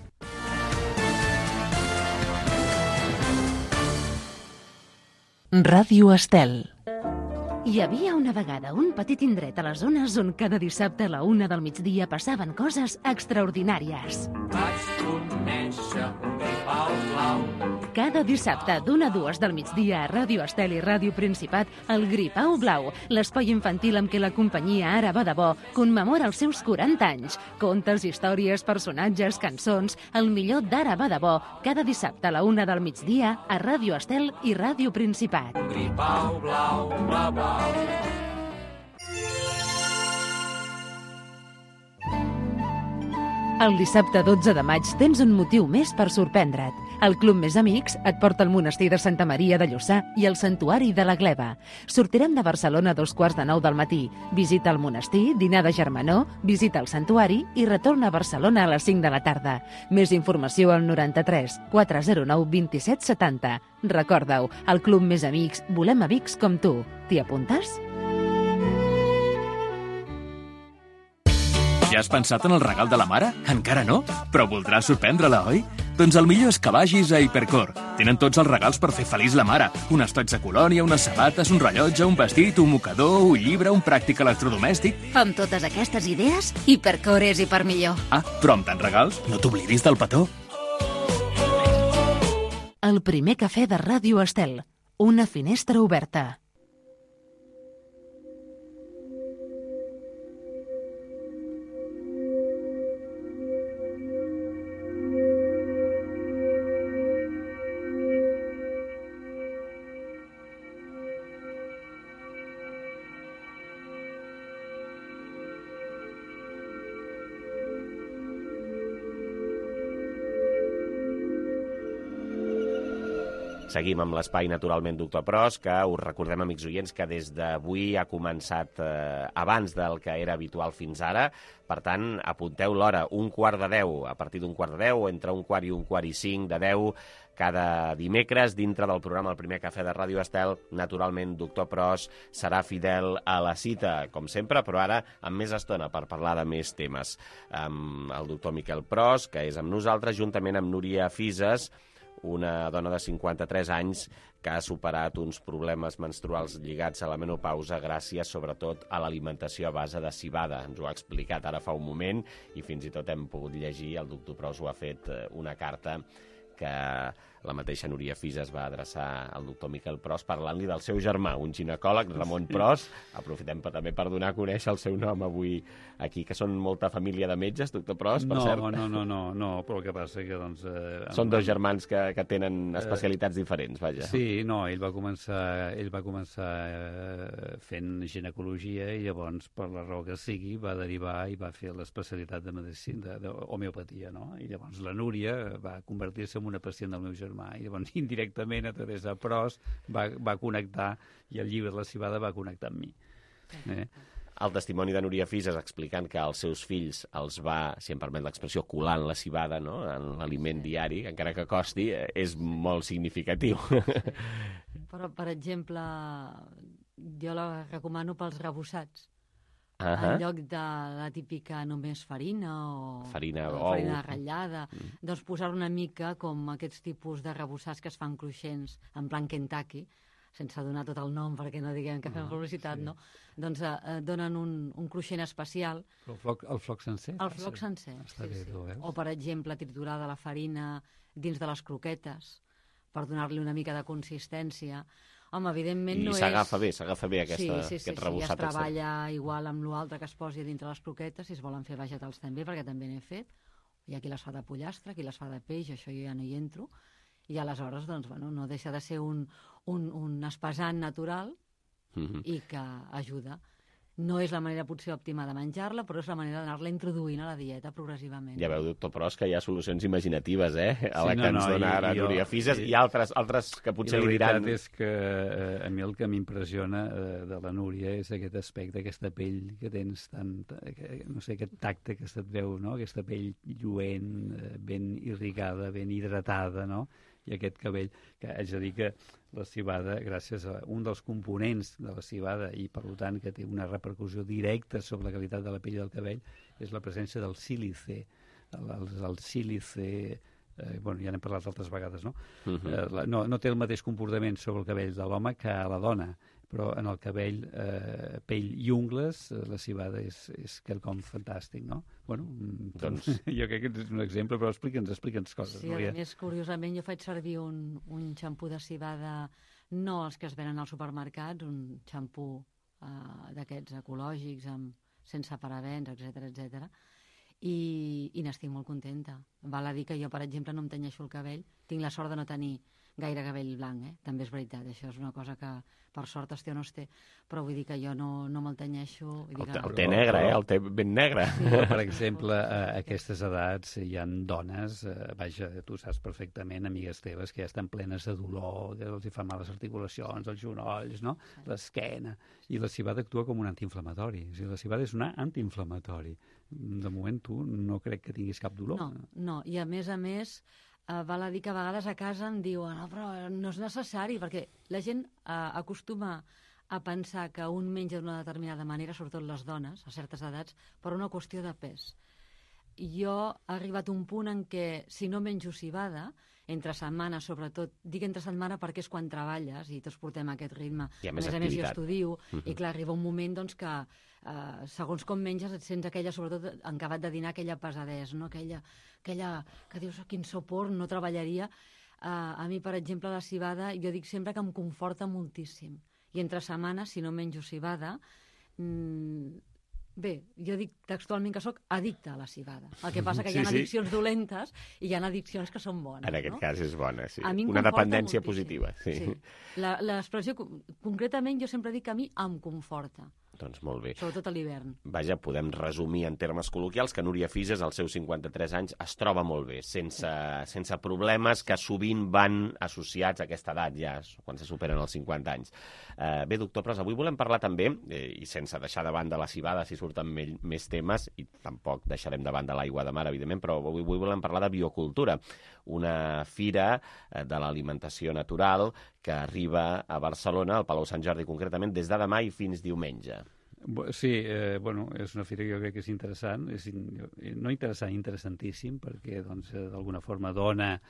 Ràdio Estel. Hi havia una vegada un petit indret a les zones on cada dissabte a la 1 del migdia passaven coses extraordinàries.
Vaig conèixer un gripau blau.
Cada dissabte d'1 a 2 del migdia a Ràdio Estel i Ràdio Principat, el Gripau Blau, l'espai infantil amb què la companyia Ara va de bo commemora els seus 40 anys. Contes, històries, personatges, cançons, el millor d'Ara va de bo, cada dissabte a la 1 del migdia a Ràdio Estel i Ràdio Principat.
Gripau blau, blau, blau.
El dissabte 12 de maig tens un motiu més per sorprendre't. El Club Més Amics et porta al monestir de Santa Maria de Lluçà i al Santuari de la Gleva. Sortirem de Barcelona a 2:45 del matí. Visita el monestir, dinar de germanor, visita el santuari i retorna a Barcelona a les 5 de la tarda. Més informació al 93 409 27 70. Recorda-ho, al Club Més Amics volem amics com tu. T'hi apuntes?
Ja has pensat en el regal de la mare? Encara no? Però voldràs sorprendre-la, oi? Doncs el millor és que vagis a Hipercor. Tenen tots els regals per fer feliç la mare. Un estoig de colònia, unes sabates, un rellotge, un vestit, un mocador, un llibre, un pràctic electrodomèstic...
Amb totes aquestes idees, Hipercor és hipermillor.
Ah, però amb tants regals, no t'oblidis del petó.
El primer cafè de Ràdio Estel. Una finestra oberta.
Seguim amb l'espai Naturalment Doctor Pros, que us recordem, amics oients, que des d'avui ha començat abans del que era habitual fins ara. Per tant, apunteu l'hora, 1:45, a partir d'1:45, o entre 1:15 i 1:45 de 10, cada dimecres, dintre del programa El primer cafè de Ràdio Estel. Naturalment, Doctor Pros serà fidel a la cita, com sempre, però ara amb més estona per parlar de més temes. Amb el doctor Miquel Pros, que és amb nosaltres, juntament amb Núria Fises, una dona de 53 anys que ha superat uns problemes menstruals lligats a la menopausa gràcies, sobretot, a l'alimentació a base de civada. Ens ho ha explicat ara fa un moment i fins i tot hem pogut llegir, el doctor Pros ho ha fet, una carta que la mateixa Núria Fises va adreçar al doctor Miquel Pros parlant-li del seu germà, un ginecòleg, Ramon Pros. Aprofitem també per donar a conèixer el seu nom avui aquí, que són molta família de metges, doctor Pros, per cert.
No, però el que passa que, doncs...
Són dos germans que tenen especialitats diferents, vaja.
Sí, no, ell va començar fent ginecologia i llavors, per la raó que sigui, va derivar i va fer l'especialitat de medicina, d'homeopatia, no? I llavors la Núria va convertir-se en una pacient del meu germà i llavors indirectament a través de Pros va connectar i el llibre de la civada va connectar amb mi.
el testimoni de Núria Fises explicant que als seus fills els va, si em permet l'expressió, colant la civada, no?, en l'aliment diari, encara que costi, és molt significatiu.
Però, per exemple, jo la recomano pels rebussats.
En
lloc de la típica només farina o
farina
ratllada, doncs posar una mica com aquests tipus de rebussats que es fan cruixents en plan Kentucky, sense donar tot el nom perquè no diguem que fem publicitat, no? Doncs donen un cruixent especial.
El floc sencer?
El floc sencer, sí. O, per exemple, triturada la farina dins de les croquetes per donar-li una mica de consistència. Home, evidentment no és...
I s'agafa bé aquest rebussat.
Sí, es treballa igual amb l'altre que es posi dintre les croquetes, si es volen fer vegetals també, perquè també n'he fet. Hi ha qui les fa de pollastre, qui les fa de peix, això jo ja no hi entro. I aleshores, doncs, bueno, no deixa de ser un espesant natural i que ajuda. No és la manera potser òptima de menjar-la, però és la manera d'anar-la introduint a la dieta progressivament.
Ja veu, doctor Pros, que hi ha solucions imaginatives, a la que ens dona ara Núria Fises, i altres que potser li diran...
La veritat és que a mi el que m'impressiona de la Núria és aquest aspecte, aquesta pell que tens no sé, aquest tacte que se't veu, no?, aquesta pell lluent, ben irrigada, ben hidratada, no?, i aquest cabell, que haig de dir que la civada, gràcies a un dels components de la civada i per tant que té una repercussió directa sobre la qualitat de la pell i del cabell, és la presència del sílice. El sílice, bueno, ja n'hem parlat altres vegades, no? No té el mateix comportament sobre el cabell de l'home que a la dona, però en el cabell, pell i ungles, la civada és quelcom fantàstic, no? Bueno, doncs jo crec que és un exemple, però explica'ns coses.
Sí, a més, curiosament, jo faig servir un xampú de civada, no els que es venen als supermercats, un xampú d'aquests ecològics, sense parabens, etc. I n'estic molt contenta. Val a dir que jo, per exemple, no em tenyeixo el cabell, tinc la sort de no tenir gaire cabell blanc, també és veritat, això és una cosa que per sort es té o no es té, però vull dir que jo no me'l tenyeixo.
El té negre, el té ben negre.
Sí. Per exemple, a aquestes edats hi ha dones, vaja, tu saps perfectament, amigues teves, que ja estan plenes de dolor, que els hi fan mal les articulacions, els genolls, no?, l'esquena, i la civada actua com un antiinflamatori. O sigui, la civada és un antiinflamatori. De moment tu no crec que tinguis cap dolor.
No, i a més, val a dir que a vegades a casa em diuen però no és necessari, perquè la gent acostuma a pensar que un menja d'una determinada manera, sobretot les dones, a certes edats, per una qüestió de pes. Jo he arribat a un punt en què, si no menjo civada, entre setmana, sobretot, dic entre setmana perquè és quan treballes i tots portem aquest ritme.
I a més
jo estudio, i clar, arriba un moment doncs, que segons com menges et sents aquella, sobretot en acabat de dinar, aquella pesadesa, no? aquella que dius, quin sopor, no treballaria. A mi, per exemple, la civada, jo dic sempre que em conforta moltíssim. I entre setmana, si no menjo civada, bé, jo dic textualment que sóc addicta a la civada. El que passa que hi ha addiccions dolentes i hi ha addiccions que són bones.
En aquest cas és bona, sí.
Una
dependència positiva. Sí.
L'expressió, concretament, jo sempre dic que a mi em conforta.
Doncs molt bé.
Sobretot a l'hivern.
Vaja, podem resumir en termes col·loquials que Núria Fises, als seus 53 anys, es troba molt bé, sense problemes que sovint van associats a aquesta edat, ja, quan se superen els 50 anys. Bé, doctor Pros, avui volem parlar també, i sense deixar de banda la civada, si surten més temes, i tampoc deixarem de banda l'aigua de mar, evidentment, però avui volem parlar de biocultura, una fira de l'alimentació natural que arriba a Barcelona, al Palau Sant Jordi concretament, des de demà i fins diumenge.
Sí, bueno, és una fira que jo crec que és interessant, no interessant, interessantíssim, perquè d'alguna forma dona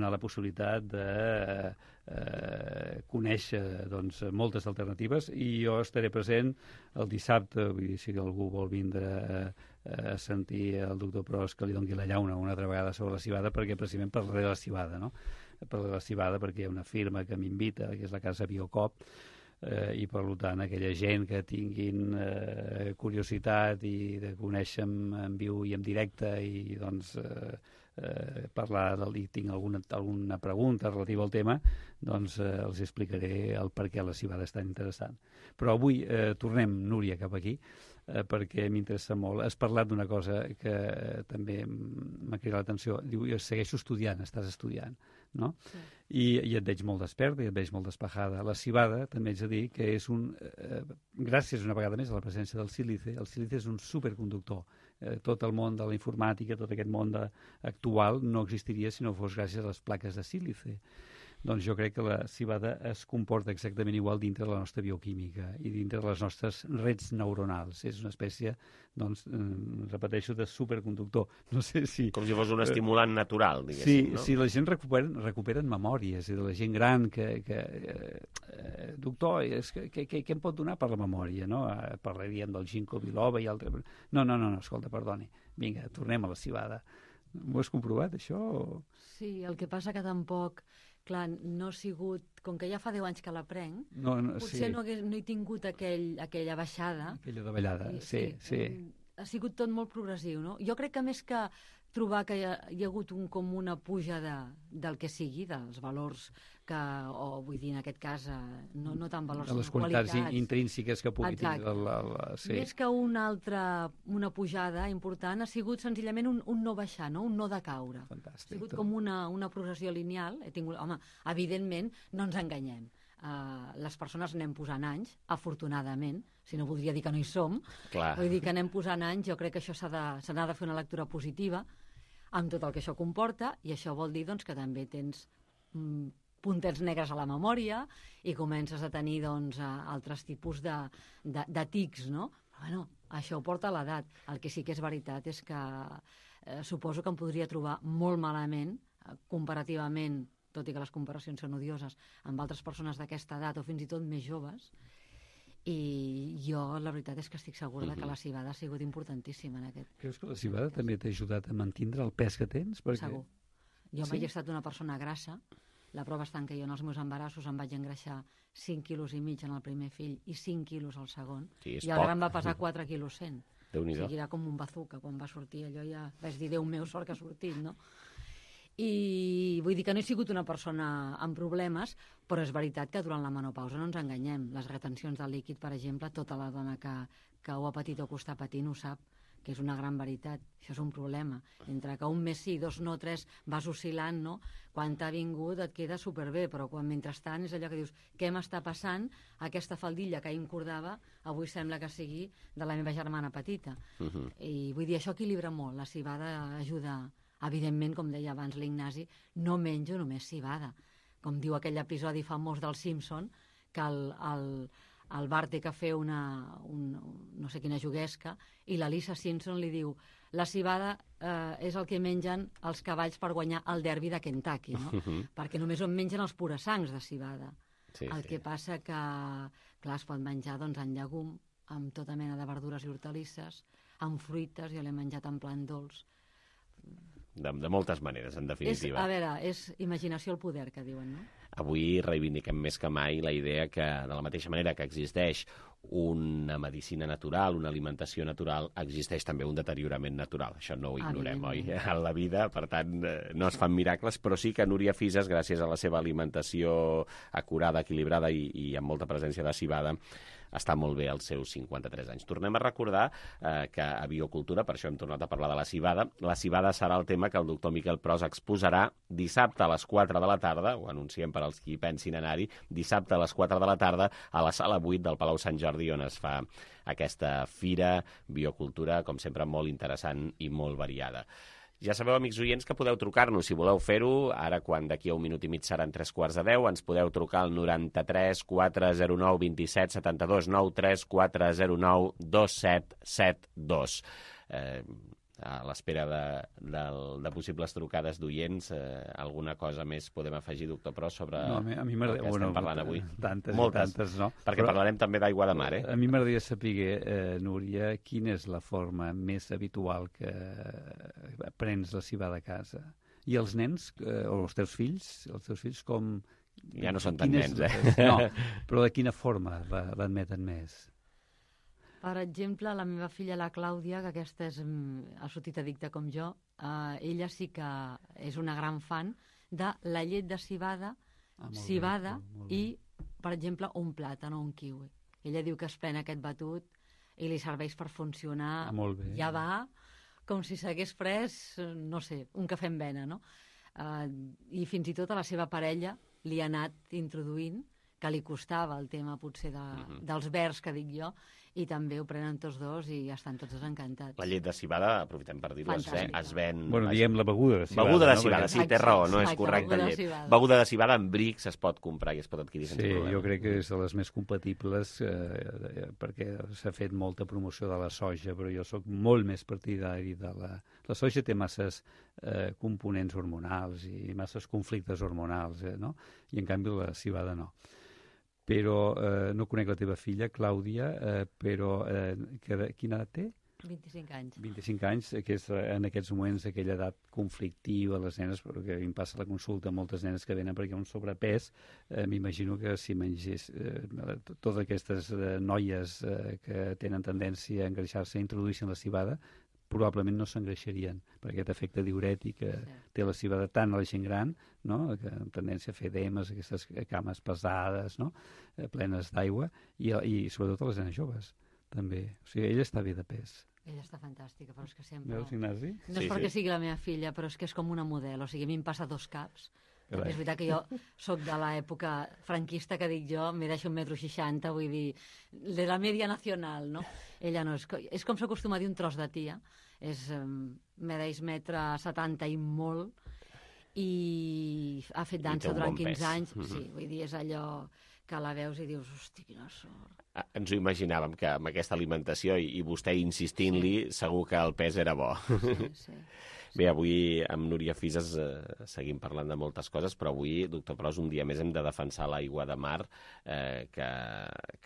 la possibilitat de conèixer moltes alternatives, i jo estaré present el dissabte, vull dir, si algú vol vindre a sentir el doctor Pros que li doni la llauna una altra vegada sobre la civada, perquè precisament parlaré de la civada, no? Parlaré de la civada perquè hi ha una firma que m'invita, que és la Casa Biocop, i per tant aquella gent que tinguin curiositat i de conèixer en viu i en directe i doncs parlar i tinc alguna pregunta relativa al tema, doncs els explicaré el per què la civada és tan interessant. Però avui tornem, Núria, cap aquí, perquè m'interessa molt. Has parlat d'una cosa que també m'ha cridat l'atenció. Diu, jo segueixo estudiant, estàs estudiant. no? Sí. I et veig molt desperta i et veig molt despejada. La civada, també haig de dir que és gràcies una vegada més a la presència del sílice, el sílice és un superconductor. Tot el món de la informàtica, tot aquest món actual no existiria si no fos gràcies a les plaques de sílice. Doncs jo crec que la civada es comporta exactament igual dintre de la nostra bioquímica i dintre de les nostres rets neuronals. És una espècie, doncs, repeteixo, de superconductor. No sé si...
Com si fos un estimulant natural, diguéssim, no?
Sí, la gent recuperen memòries, de la gent gran doctor, què em pot donar per la memòria, no? Parlaríem del ginkgo biloba i altres... No, escolta, perdoni. Vinga, tornem a la civada. Ho has comprovat, això?
Sí, el que passa que tampoc... Clar, no ha sigut... Com que ja fa 10 anys que l'aprenc, potser no he tingut aquella baixada.
Aquella davallada, sí.
Ha sigut tot molt progressiu, no? Jo crec que més que trobar que hi ha hagut com una puja del que sigui, dels valors que, o vull dir, en aquest cas, no tant valors,
de les qualitats intrínseques que pugui tenir.
Més que una pujada important, ha sigut senzillament un no baixar, no? Un no decaure.
Fantàstic.
Ha sigut com una progressió lineal. Home, evidentment, no ens enganyem. Les persones anem posant anys, afortunadament, si no voldria dir que no hi som.
Clar.
Vull dir que anem posant anys, jo crec que això se n'ha de fer una lectura positiva amb tot el que això comporta, i això vol dir doncs, que també tens puntets negres a la memòria i comences a tenir doncs, altres tipus de tics, no? Però, bueno, això ho porta a l'edat. El que sí que és veritat és que suposo que em podria trobar molt malament, comparativament, tot i que les comparacions són odioses, amb altres persones d'aquesta edat o fins i tot més joves, i jo la veritat és que estic segura que la civada ha sigut importantíssima en aquest.
Creus que la civada també t'ha ajudat a mantindre el pes que tens?
Segur. Jo mai he estat una persona grassa. La prova està en que jo en els meus embarassos em vaig engreixar 5,5 quilos en el primer fill i 5 quilos al segon.
Sí,
i ara em va pesar 4,1 quilos.
Déu-n'hi-do.
O sigui, era com un bazooka quan va sortir. Allò ja vaig dir, Déu meu, sort que ha sortit, no? I vull dir que no he sigut una persona amb problemes, però és veritat que durant la menopausa no ens enganyem. Les retencions de líquid, per exemple, tota la dona que ho ha patit o que ho està patint ho sap, que és una gran veritat. Això és un problema. Entre que un mes sí, 2 no, 3, vas oscil·lant, no? Quan t'ha vingut et queda superbé, però quan mentrestant és allò que dius, què m'està passant? Aquesta faldilla que ahir em cordava, avui sembla que sigui de la meva germana petita. I vull dir, això equilibra molt. La civada ajuda. Evidentment, com deia abans l'Ignasi, no menjo només civada. Com diu aquell episodi famós del Simpson, que el Bart té que fer no sé quina juguesca, i la Lisa Simpson li diu la civada és el que mengen els cavalls per guanyar el derbi de Kentucky, no? Perquè només en mengen els purasangs de civada. Que passa que, clar, es pot menjar doncs, en llegum, amb tota mena de verdures i hortalisses, amb fruites, jo l'he menjat en plan dolç.
De moltes maneres, en definitiva.
A veure, és imaginació al poder, que diuen, no?
Avui reivindiquem més que mai la idea que, de la mateixa manera que existeix una medicina natural, una alimentació natural, existeix també un deteriorament natural. Això no ho ignorem, oi? En la vida, per tant, no es fan miracles, però sí que Núria Fises, gràcies a la seva alimentació acurada, equilibrada i amb molta presència de civada, està molt bé als seus 53 anys. Tornem a recordar que a Biocultura, per això hem tornat a parlar de la civada, serà el tema que el doctor Miquel Pros exposarà dissabte a les 4 de la tarda, ho anunciem per als qui pensin anar-hi, dissabte a les 4 de la tarda a la sala 8 del Palau Sant Jordi, on es fa aquesta fira Biocultura, com sempre molt interessant i molt variada. Ja sabeu, amics oients, que podeu trucar-nos si voleu fer-ho. Ara, quan d'aquí a un minut i mig seran 3:45, ens podeu trucar al 93 409 27 72, 93 409 2772. A l'espera de possibles trucades d'oients, alguna cosa més podem afegir, doctor Pros, sobre el que estem parlant avui?
Tantes, no?
Perquè parlarem també d'aigua de mar, eh?
A mi m'agradaria saber, Núria, quina és la forma més habitual que prens la civada a casa. I els nens, o els teus fills, com...
Ja no són tan nens,
No, però de quina forma l'admeten més?
Per exemple, la meva filla, la Clàudia, que aquesta ha sortit addicta com jo, ella sí que és una gran fan de la llet de civada, i, per exemple, un plàtan o un kiwi. Ella diu que es pren aquest batut i li serveix per funcionar.
Molt bé.
Ja va com si s'hagués pres, no sé, un cafè amb vena, no? I fins i tot a la seva parella li ha anat introduint, que li costava el tema potser dels vers, que dic jo, i també ho prenen tots dos i estan tots encantats.
La llet de civada, aprofitem per dir-ho, es ven...
Bueno, diem la beguda de civada.
Beguda de civada, sí, té raó, no és correcte llet. Beguda de civada amb brics es pot comprar i es pot adquirir sense problema.
Sí, jo crec que és de les més compatibles perquè s'ha fet molta promoció de la soja, però jo sóc molt més partidari de la... La soja té masses components hormonals i masses conflictes hormonals, no? I en canvi la civada no. Però no conec la teva filla, Clàudia, però quina edat té?
25 anys.
25 anys, que és en aquests moments aquella edat conflictiva, les nenes, perquè em passa la consulta moltes nenes que venen perquè hi ha un sobrepès, m'imagino que si mengés totes aquestes noies que tenen tendència a engreixar-se i introduïssin la civada, probablement no s'engreixarien, per aquest efecte diürètic que té la civada tant a la gent gran, no? Que amb tendència a fer edemes, aquestes cames pesades, no? Plenes d'aigua, i sobretot a les nenes joves, també. O sigui, ella està bé de pes.
Ella està fantàstica, però és que sempre...
Veus, Ignasi?
No és perquè sigui la meva filla, però és que és com una model, o sigui, a mi em passa dos caps. És veritat que jo sóc de l'època franquista, que dic jo, me deixo 1,60 m, vull dir, de la media nacional, no? Ella no, és com s'acostuma a dir un tros de tia, medeix 1,70 m i molt, i ha fet dansa durant 15 anys, sí, vull dir, és allò que la veus i dius, hosti, quina sort.
Ens ho imaginàvem, que amb aquesta alimentació i vostè insistint-li, segur que el pes era bo.
Sí.
Bé, avui amb Núria Fises seguim parlant de moltes coses, però avui, doctor Pros, un dia més hem de defensar l'aigua de mar, que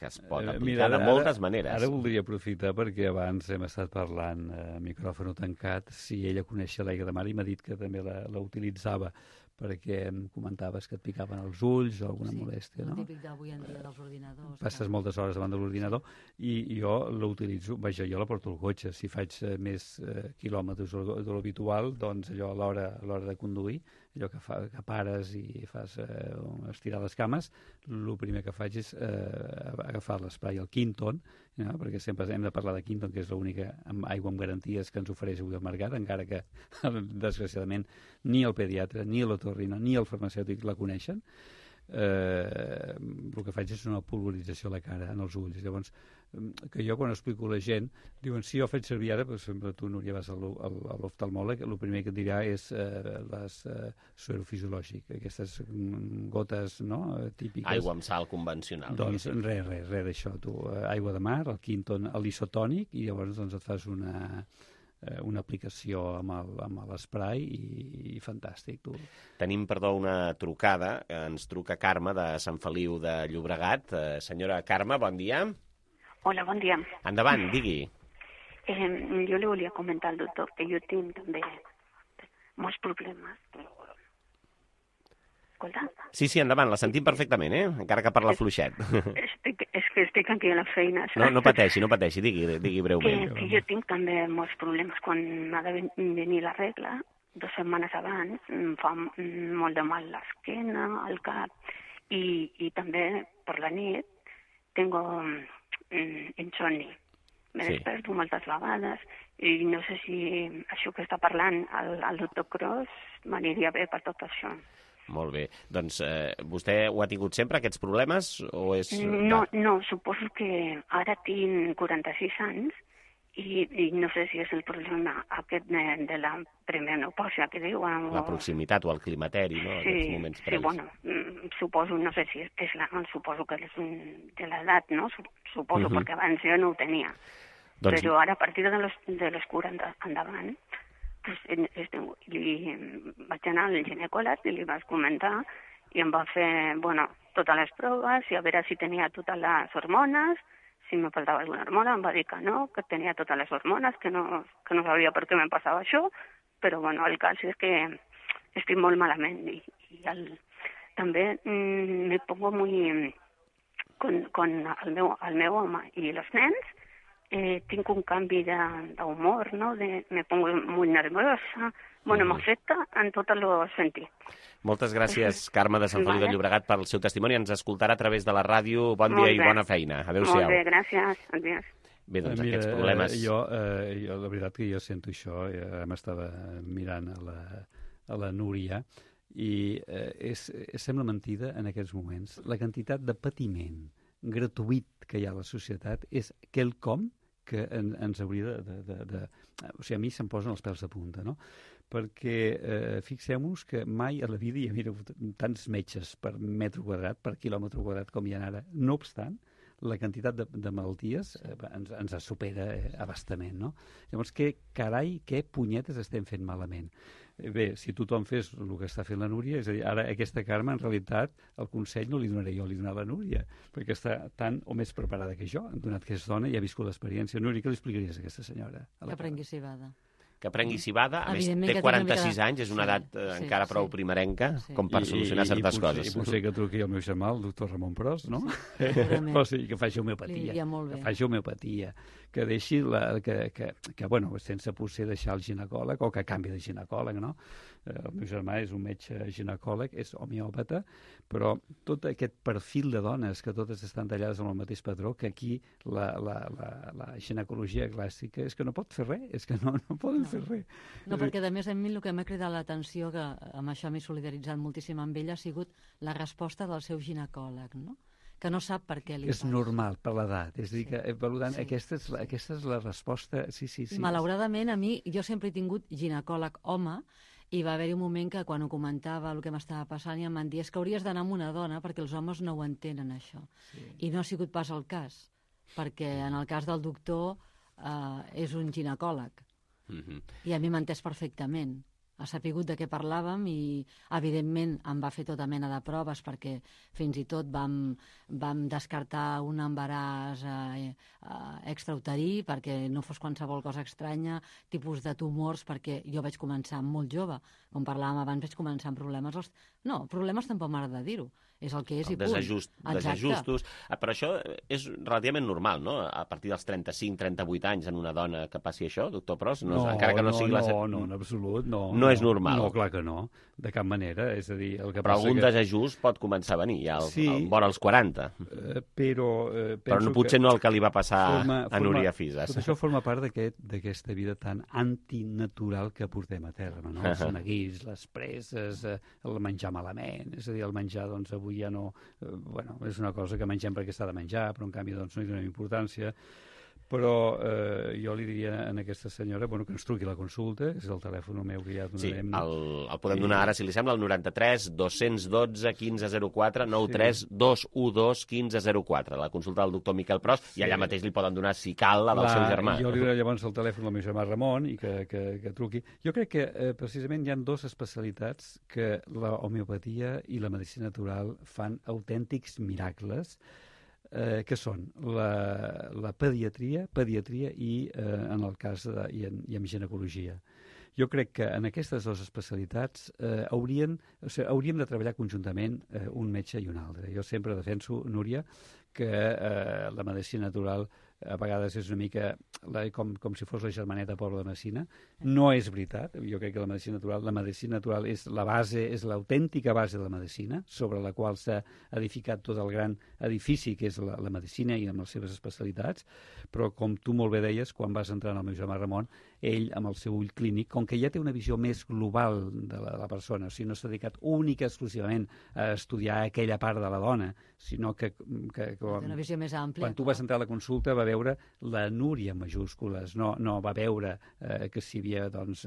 es pot aplicar de moltes maneres.
Ara voldria aprofitar perquè abans hem estat parlant a micròfon tancat si ella coneixia l'aigua de mar i m'ha dit que també la utilitzava, perquè em comentaves que et picaven els ulls o alguna molèstia, no?
Sí, el típic d'avui en dia dels ordinadors.
Passes moltes hores davant de l'ordinador i jo l'utilitzo, vaja, jo la porto al cotxe. Si faig més quilòmetres de l'habitual, doncs allò a l'hora de conduir, allò que pares i fas estirar les cames, el primer que faig és agafar l'esprai, el Quinton, no? Perquè sempre hem de parlar de Quinton, que és l'única aigua amb garanties que ens ofereix avui el mercat, encara que, desgraciadament, ni el pediatre, ni l'otorrino, ni el farmacèutic la coneixen. El que faig és una pulverització a la cara, en els ulls. Llavors, que jo quan explico a la gent, diuen, si jo faig servir ara, doncs sempre tu, Núria, vas a l'oftalmòleg, el primer que et dirà és les suerofisiològic, aquestes gotes, no?, típiques.
Aigua amb sal convencional.
Doncs res d'això, tu. Aigua de mar, el Quinton, l'isotònic, i llavors doncs et fas una aplicació amb l'esprai i fantàstic, tu.
Tenim, perdó, una trucada. Ens truca Carme de Sant Feliu de Llobregat. Senyora Carme, bon dia.
Hola, bon dia.
Endavant, digui.
Jo li volia comentar al doctor que jo tinc també molts problemes. Escolta?
Sí, endavant, la sentim perfectament, encara que parla fluixet.
És que estic aquí a la feina.
No pateixi, digui breument.
Que jo tinc també molts problemes quan m'ha de venir la regla. 2 setmanes abans em fa molt de mal l'esquena, el cap, i també per la nit tengo insomni. Me desperto moltes vegades i no sé si això que està parlant el doctor Cros m'aniria bé per tot això.
Molt bé. Doncs vostè ho ha tingut sempre, aquests problemes? O és...
No, suposo que ara tinc 46 anys i no sé si és el problema aquest de la premenopàusia que diuen.
La proximitat o el climateri, no?
Sí, moments previs. Sí, bueno, suposo, no sé si suposo que és de l'edat, no? Suposo, perquè abans jo no ho tenia. Doncs... Però ara, a partir de los 40 endavant, pues, vaig anar al ginecòleg i li vaig comentar i em va fer, totes les proves i a veure si tenia totes les hormones. Si me faltava alguna hormona, em va dir que no, que tenia totes les hormones, que no sabia per què me passava això, però el cas és que estic molt malament i també me pongo muy con el meu home i els nens, tinc un canvi d'humor, no? Me pongo muy nerviosa, m'afecta en tots els sentits.
Moltes gràcies, Carme de Sant Feliu de Llobregat, pel seu testimoni. Ens escoltarà a través de la ràdio. Bon dia i bona feina. Adéu-siau.
Molt bé, gràcies. Adiós.
Bé, doncs aquests problemes...
Jo, la veritat que jo sento això. M'estava mirant a la Núria, i sembla mentida en aquests moments. La quantitat de patiment gratuït que hi ha a la societat és quelcom que ens hauria de... O sigui, a mi se'm posen els pèls de punta, no? Perquè fixem-nos que mai a la vida hi havia hagut tants metges per metre quadrat, per quilòmetre quadrat com hi ha ara. No obstant, la quantitat de malalties ens supera abastament, no? Llavors, què punyetes estem fent malament? Bé, si tothom fes el que està fent la Núria, és a dir, ara aquesta Carme, en realitat, el consell no li donaré jo, li donaré a la Núria, perquè està tan o més preparada que jo, donat que és dona i ha viscut l'experiència. Núria, què li explicaries a aquesta senyora?
Que prengui cibada.
Que prengui cibada, a més té 46 anys, és una edat encara prou primerenca, com per solucionar certes coses.
I potser que truqui el meu germà, el doctor Ramon Pros, no? O sigui, que faci homeopatia. Que faci homeopatia. Que deixi, bueno, sense potser deixar el ginecòleg, o que canvi de ginecòleg, no? El meu germà és un metge ginecòleg, és homeòpata, però tot aquest perfil de dones que totes estan tallades amb el mateix patró, que aquí la ginecologia clàssica és que no pot fer res, és que no poden fer res.
No, perquè a més a mi el que m'ha cridat l'atenció, que amb això m'he solidaritzat moltíssim amb ella, ha sigut la resposta del seu ginecòleg, no? Que no sap per què li passa.
És normal, per l'edat. És a dir, que, per tant, aquesta és la resposta... Sí.
Malauradament, a mi, jo sempre he tingut ginecòleg home, i va haver-hi un moment que quan ho comentava el que m'estava passant i em van dir que hauries d'anar amb una dona perquè els homes no ho entenen, això. Sí. I no ha sigut pas el cas, perquè en el cas del doctor és un ginecòleg. I a mi m'ha entès perfectament. Ha sapigut de què parlàvem i, evidentment, em va fer tota mena de proves perquè fins i tot vam descartar un embaràs extrauterí perquè no fos qualsevol cosa estranya, tipus de tumors, perquè jo vaig començar molt jove. Com parlàvem abans, vaig començar amb problemes... No, problemes tampoc m'agrada dir-ho. És el que és i punt.
Desajustos. Però això és relativament normal, no? A partir dels 35-38 anys en una dona que passi això, doctor Pros?
No, en absolut, no.
No és normal.
No, clar que no, de cap manera. És a dir, el que
però algun desajust pot començar a venir, ja vora als 40. Però potser no el que li va passar a Núria Fisas.
Tot això forma part d'aquesta vida tan antinatural que portem a terme, no? Els neguits, les presses, el menjar malament, és a dir, el menjar, doncs, avui ja no... Bueno, és una cosa que mengem perquè s'ha de menjar, però en canvi doncs, no hi donem importància. Però jo li diria a aquesta senyora que ens truqui la consulta, és el telèfon meu que ja donarem.
Sí, el podem donar ara, si li sembla, el 93 212 1504, 93 212 1504, la consulta del doctor Miquel Pros, i allà mateix li poden donar, si cal, la del seu germà.
Jo li donaré llavors el telèfon del meu germà Ramon i que truqui. Jo crec que precisament hi ha dues especialitats que la homeopatia i la medicina natural fan autèntics miracles, que són la pediatria i en el cas i en ginecologia. Jo crec que en aquestes dues especialitats hauríem de treballar conjuntament un metge i un altre. Jo sempre defenso, Núria, que la medicina natural a vegades és una mica com si fos la germaneta pobra de medicina. No és veritat. Jo crec que la medicina natural és la base, és l'autèntica base de la medicina, sobre la qual s'ha edificat tot el gran edifici que és la medicina i amb les seves especialitats, però com tu molt bé deies, quan vas entrar en el meu germà Ramon, ell, amb el seu ull clínic, com que ja té una visió més global de la persona, o sigui, no s'ha dedicat única exclusivament a estudiar aquella part de la dona, sinó que
una visió més àmplia.
Quan tu vas entrar a la consulta va veure la Núria en majúscules, no va veure que si hi havia doncs,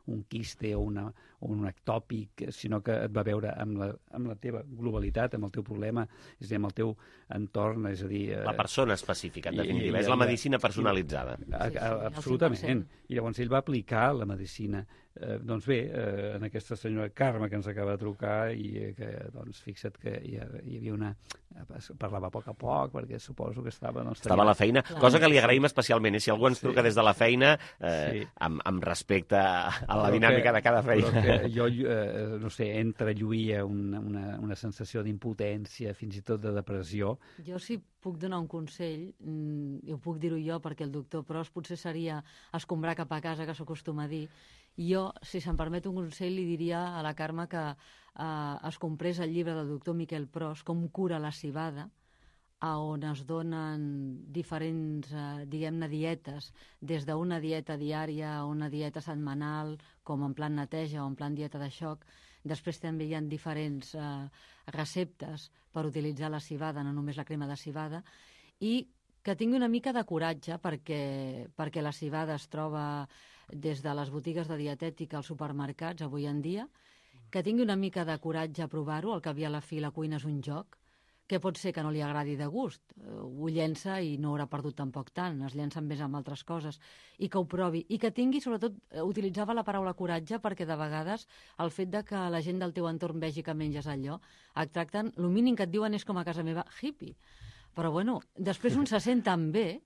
un quiste o un ectòpic, sinó que et va veure amb la teva globalitat, amb el teu problema, és a dir, amb el teu entorn, és a dir...
La persona específica, en definitiva, és la medicina personalitzada.
Absolutament. I llavors ell va aplicar la medicina. Doncs bé, en aquesta senyora Carme que ens acaba de trucar i que, doncs, fixa't que hi havia una... parlava a poc, perquè suposo que estava...
Estava a la feina, cosa que li agraïm especialment, si algú ens truca des de la feina, amb respecte a la dinàmica de cada feina.
Però que jo, no sé, entrelluïa una sensació d'impotència, fins i tot de depressió.
Jo sí puc donar un consell, i ho puc dir-ho jo, perquè el doctor Pros potser seria escombrar cap a casa, que s'acostuma a dir. Jo, si se'm permet un consell, li diria a la Carme que es comprés el llibre del doctor Miquel Pros, Com cura la civada, on es donen diferents, diguem-ne, dietes, des d'una dieta diària a una dieta setmanal, com en plan neteja o en plan dieta de xoc. Després també hi ha diferents receptes per utilitzar la civada, no només la crema de civada, i que tingui una mica de coratge perquè la civada es troba des de les botigues de dietètica als supermercats avui en dia, que tingui una mica de coratge a provar-ho, al cap i a la fi la cuina és un joc, que pot ser que no li agradi de gust, ho llença i no haurà perdut tampoc tant, es llença més amb altres coses, i que ho provi, i que tingui, sobretot, utilitzava la paraula coratge perquè de vegades el fet de que la gent del teu entorn vegi que menges allò, et tracten, el mínim que et diuen és com a casa meva, hippie. Però bueno, després un se sent tan bé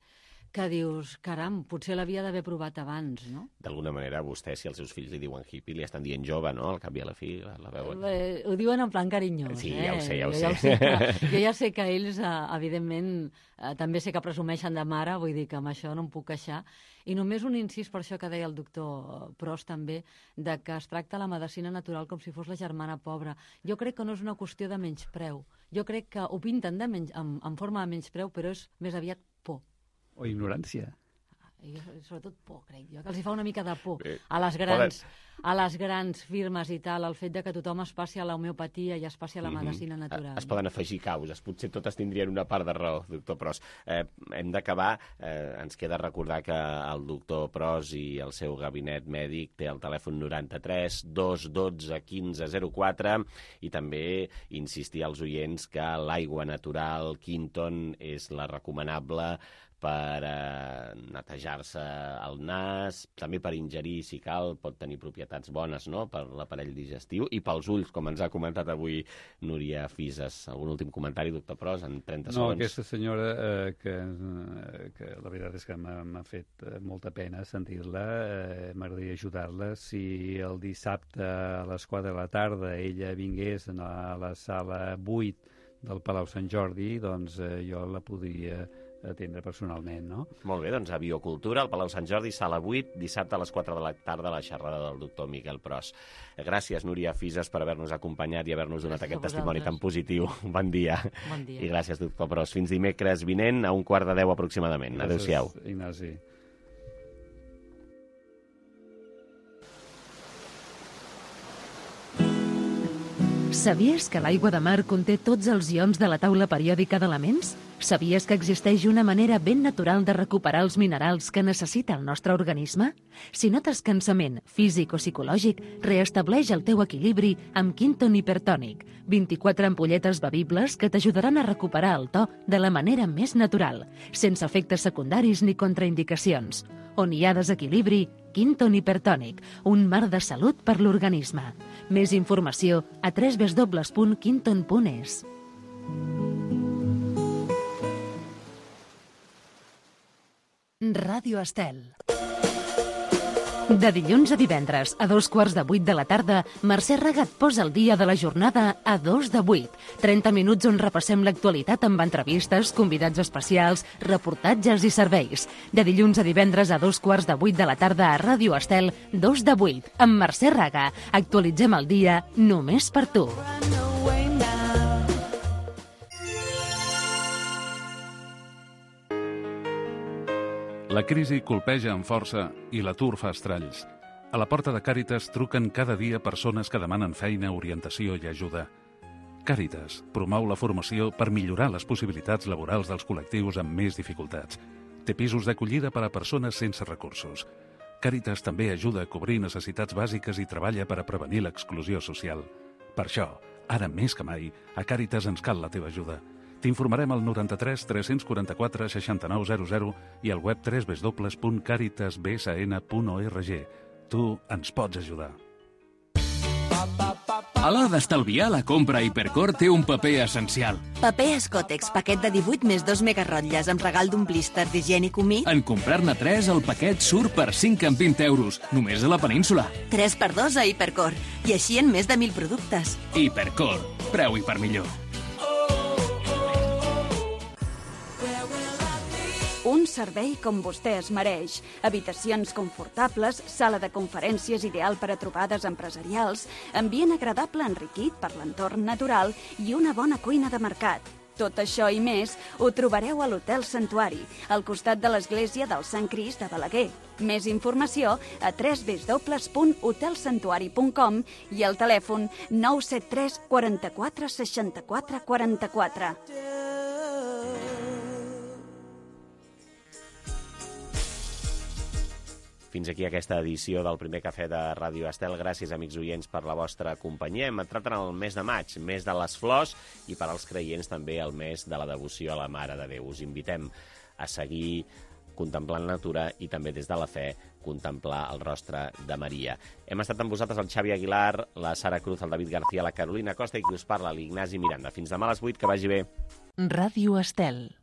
que dius, caram, potser l'havia d'haver provat abans, no?
D'alguna manera, vostè, si els seus fills li diuen hippie, li estan dient jove, no? Al cap i a la fi, la veuen.
Ho diuen en plan carinyós,
Sí, ja ho sé, ja ho
sé. Jo ja sé que ells, evidentment, també sé que presumeixen de mare, vull dir que amb això no em puc queixar. I només un incís per això que deia el doctor Pros també, de que es tracta la medicina natural com si fos la germana pobra. Jo crec que no és una qüestió de menyspreu. Jo crec que ho pinten en forma de menyspreu, però és més aviat por.
O ignorància.
Sobretot por, crec jo, que els hi fa una mica de por a les grans firmes i tal, el fet de que tothom es passi a l'homeopatia i es passi a la medicina natural.
Es poden afegir causes, potser totes tindrien una part de raó, doctor Pros. Hem d'acabar, ens queda recordar que el doctor Pros i el seu gabinet mèdic té el telèfon 93 212 1504 i també insistir als oients que l'aigua natural Quinton és la recomanable per netejar-se el nas, també per ingerir, si cal, pot tenir propietats bones, no?, per l'aparell digestiu, i pels ulls, com ens ha comentat avui Núria Fises. Algun últim comentari, doctor Pros, en 30 segons?
No, aquesta senyora, que la veritat és que m'ha fet molta pena sentir-la, m'agradaria ajudar-la. Si el dissabte a les 4 de la tarda ella vingués a la sala 8 del Palau Sant Jordi, doncs jo la podria atendre personalment, no?
Molt bé, doncs a Biocultura, al Palau Sant Jordi, sala 8, dissabte a les 4 de la tarda, la xerrada del doctor Miquel Pros. Gràcies, Núria Fises, per haver-nos acompanyat i haver-nos donat aquest testimoni tan positiu. Bon dia.
Bon dia.
I gràcies, doctor Pros. Fins dimecres vinent, a 9:45 aproximadament. Adéu-siau.
Gràcies, Ignasi.
Sabies que l'aigua de mar conté tots els ions de la taula periòdica d'elements? Sabies que existeix una manera ben natural de recuperar els minerals que necessita el nostre organisme? Si notes cansament físic o psicològic, reestableix el teu equilibri amb Quinton Hipertònic. 24 ampolletes bevibles que t'ajudaran a recuperar el to de la manera més natural, sense efectes secundaris ni contraindicacions. On hi ha desequilibri, Quinton Hipertònic, un mar de salut per l'organisme. Més informació a www.quinton.es. Ràdio Estel. De dilluns a divendres, a 7:45 de la tarda, Mercè Regat posa el dia de la jornada a 7:45. 30 minuts on repassem l'actualitat amb entrevistes, convidats especials, reportatges i serveis. De dilluns a divendres a 7:15 de la tarda a Ràdio Estel, 2:08, amb Mercè Regat. Actualitzem el dia només per tu.
La crisi colpeja amb força i l'atur fa estralls. A la porta de Càritas truquen cada dia persones que demanen feina, orientació i ajuda. Càritas promou la formació per millorar les possibilitats laborals dels col·lectius amb més dificultats. Té pisos d'acollida per a persones sense recursos. Càritas també ajuda a cobrir necessitats bàsiques i treballa per a prevenir l'exclusió social. Per això, ara més que mai, a Càritas ens cal la teva ajuda. T'informarem al 93 344 6900 i al web www.caritasbsn.org. Tu ens pots ajudar.
A l'hora d'estalviar, la compra a Hipercor té un paper essencial.
Paper Escotex, paquet de 18 més 2 megarotlles amb regal d'un blíster d'higiènic humit.
En comprar-ne 3, el paquet surt per 5 amb 20 euros, només a la península.
3x2 a Hipercor, i així en més de 1.000 productes.
Hipercor, preu i per millor.
Un servei com vostè es mereix. Habitacions confortables, sala de conferències ideal per a trobades empresarials, ambient agradable enriquit per l'entorn natural i una bona cuina de mercat. Tot això i més ho trobareu a l'Hotel Santuari, al costat de l'església del Sant Crist de Balaguer. Més informació a www.hotelsantuari.com i al telèfon 973 44 64 44.
Fins aquí aquesta edició del primer cafè de Ràdio Estel. Gràcies, amics oients, per la vostra companyia. Hem entrat en el mes de maig, mes de les flors, i per als creients també el mes de la devoció a la Mare de Déu. Us invitem a seguir contemplant la natura i també des de la fe contemplar el rostre de Maria. Hem estat amb vosaltres el Xavi Aguilar, la Sara Cruz, el David García, la Carolina Costa i qui us parla, l'Ignasi Miranda. Fins demà a les 8, que vagi bé.
Ràdio Estel.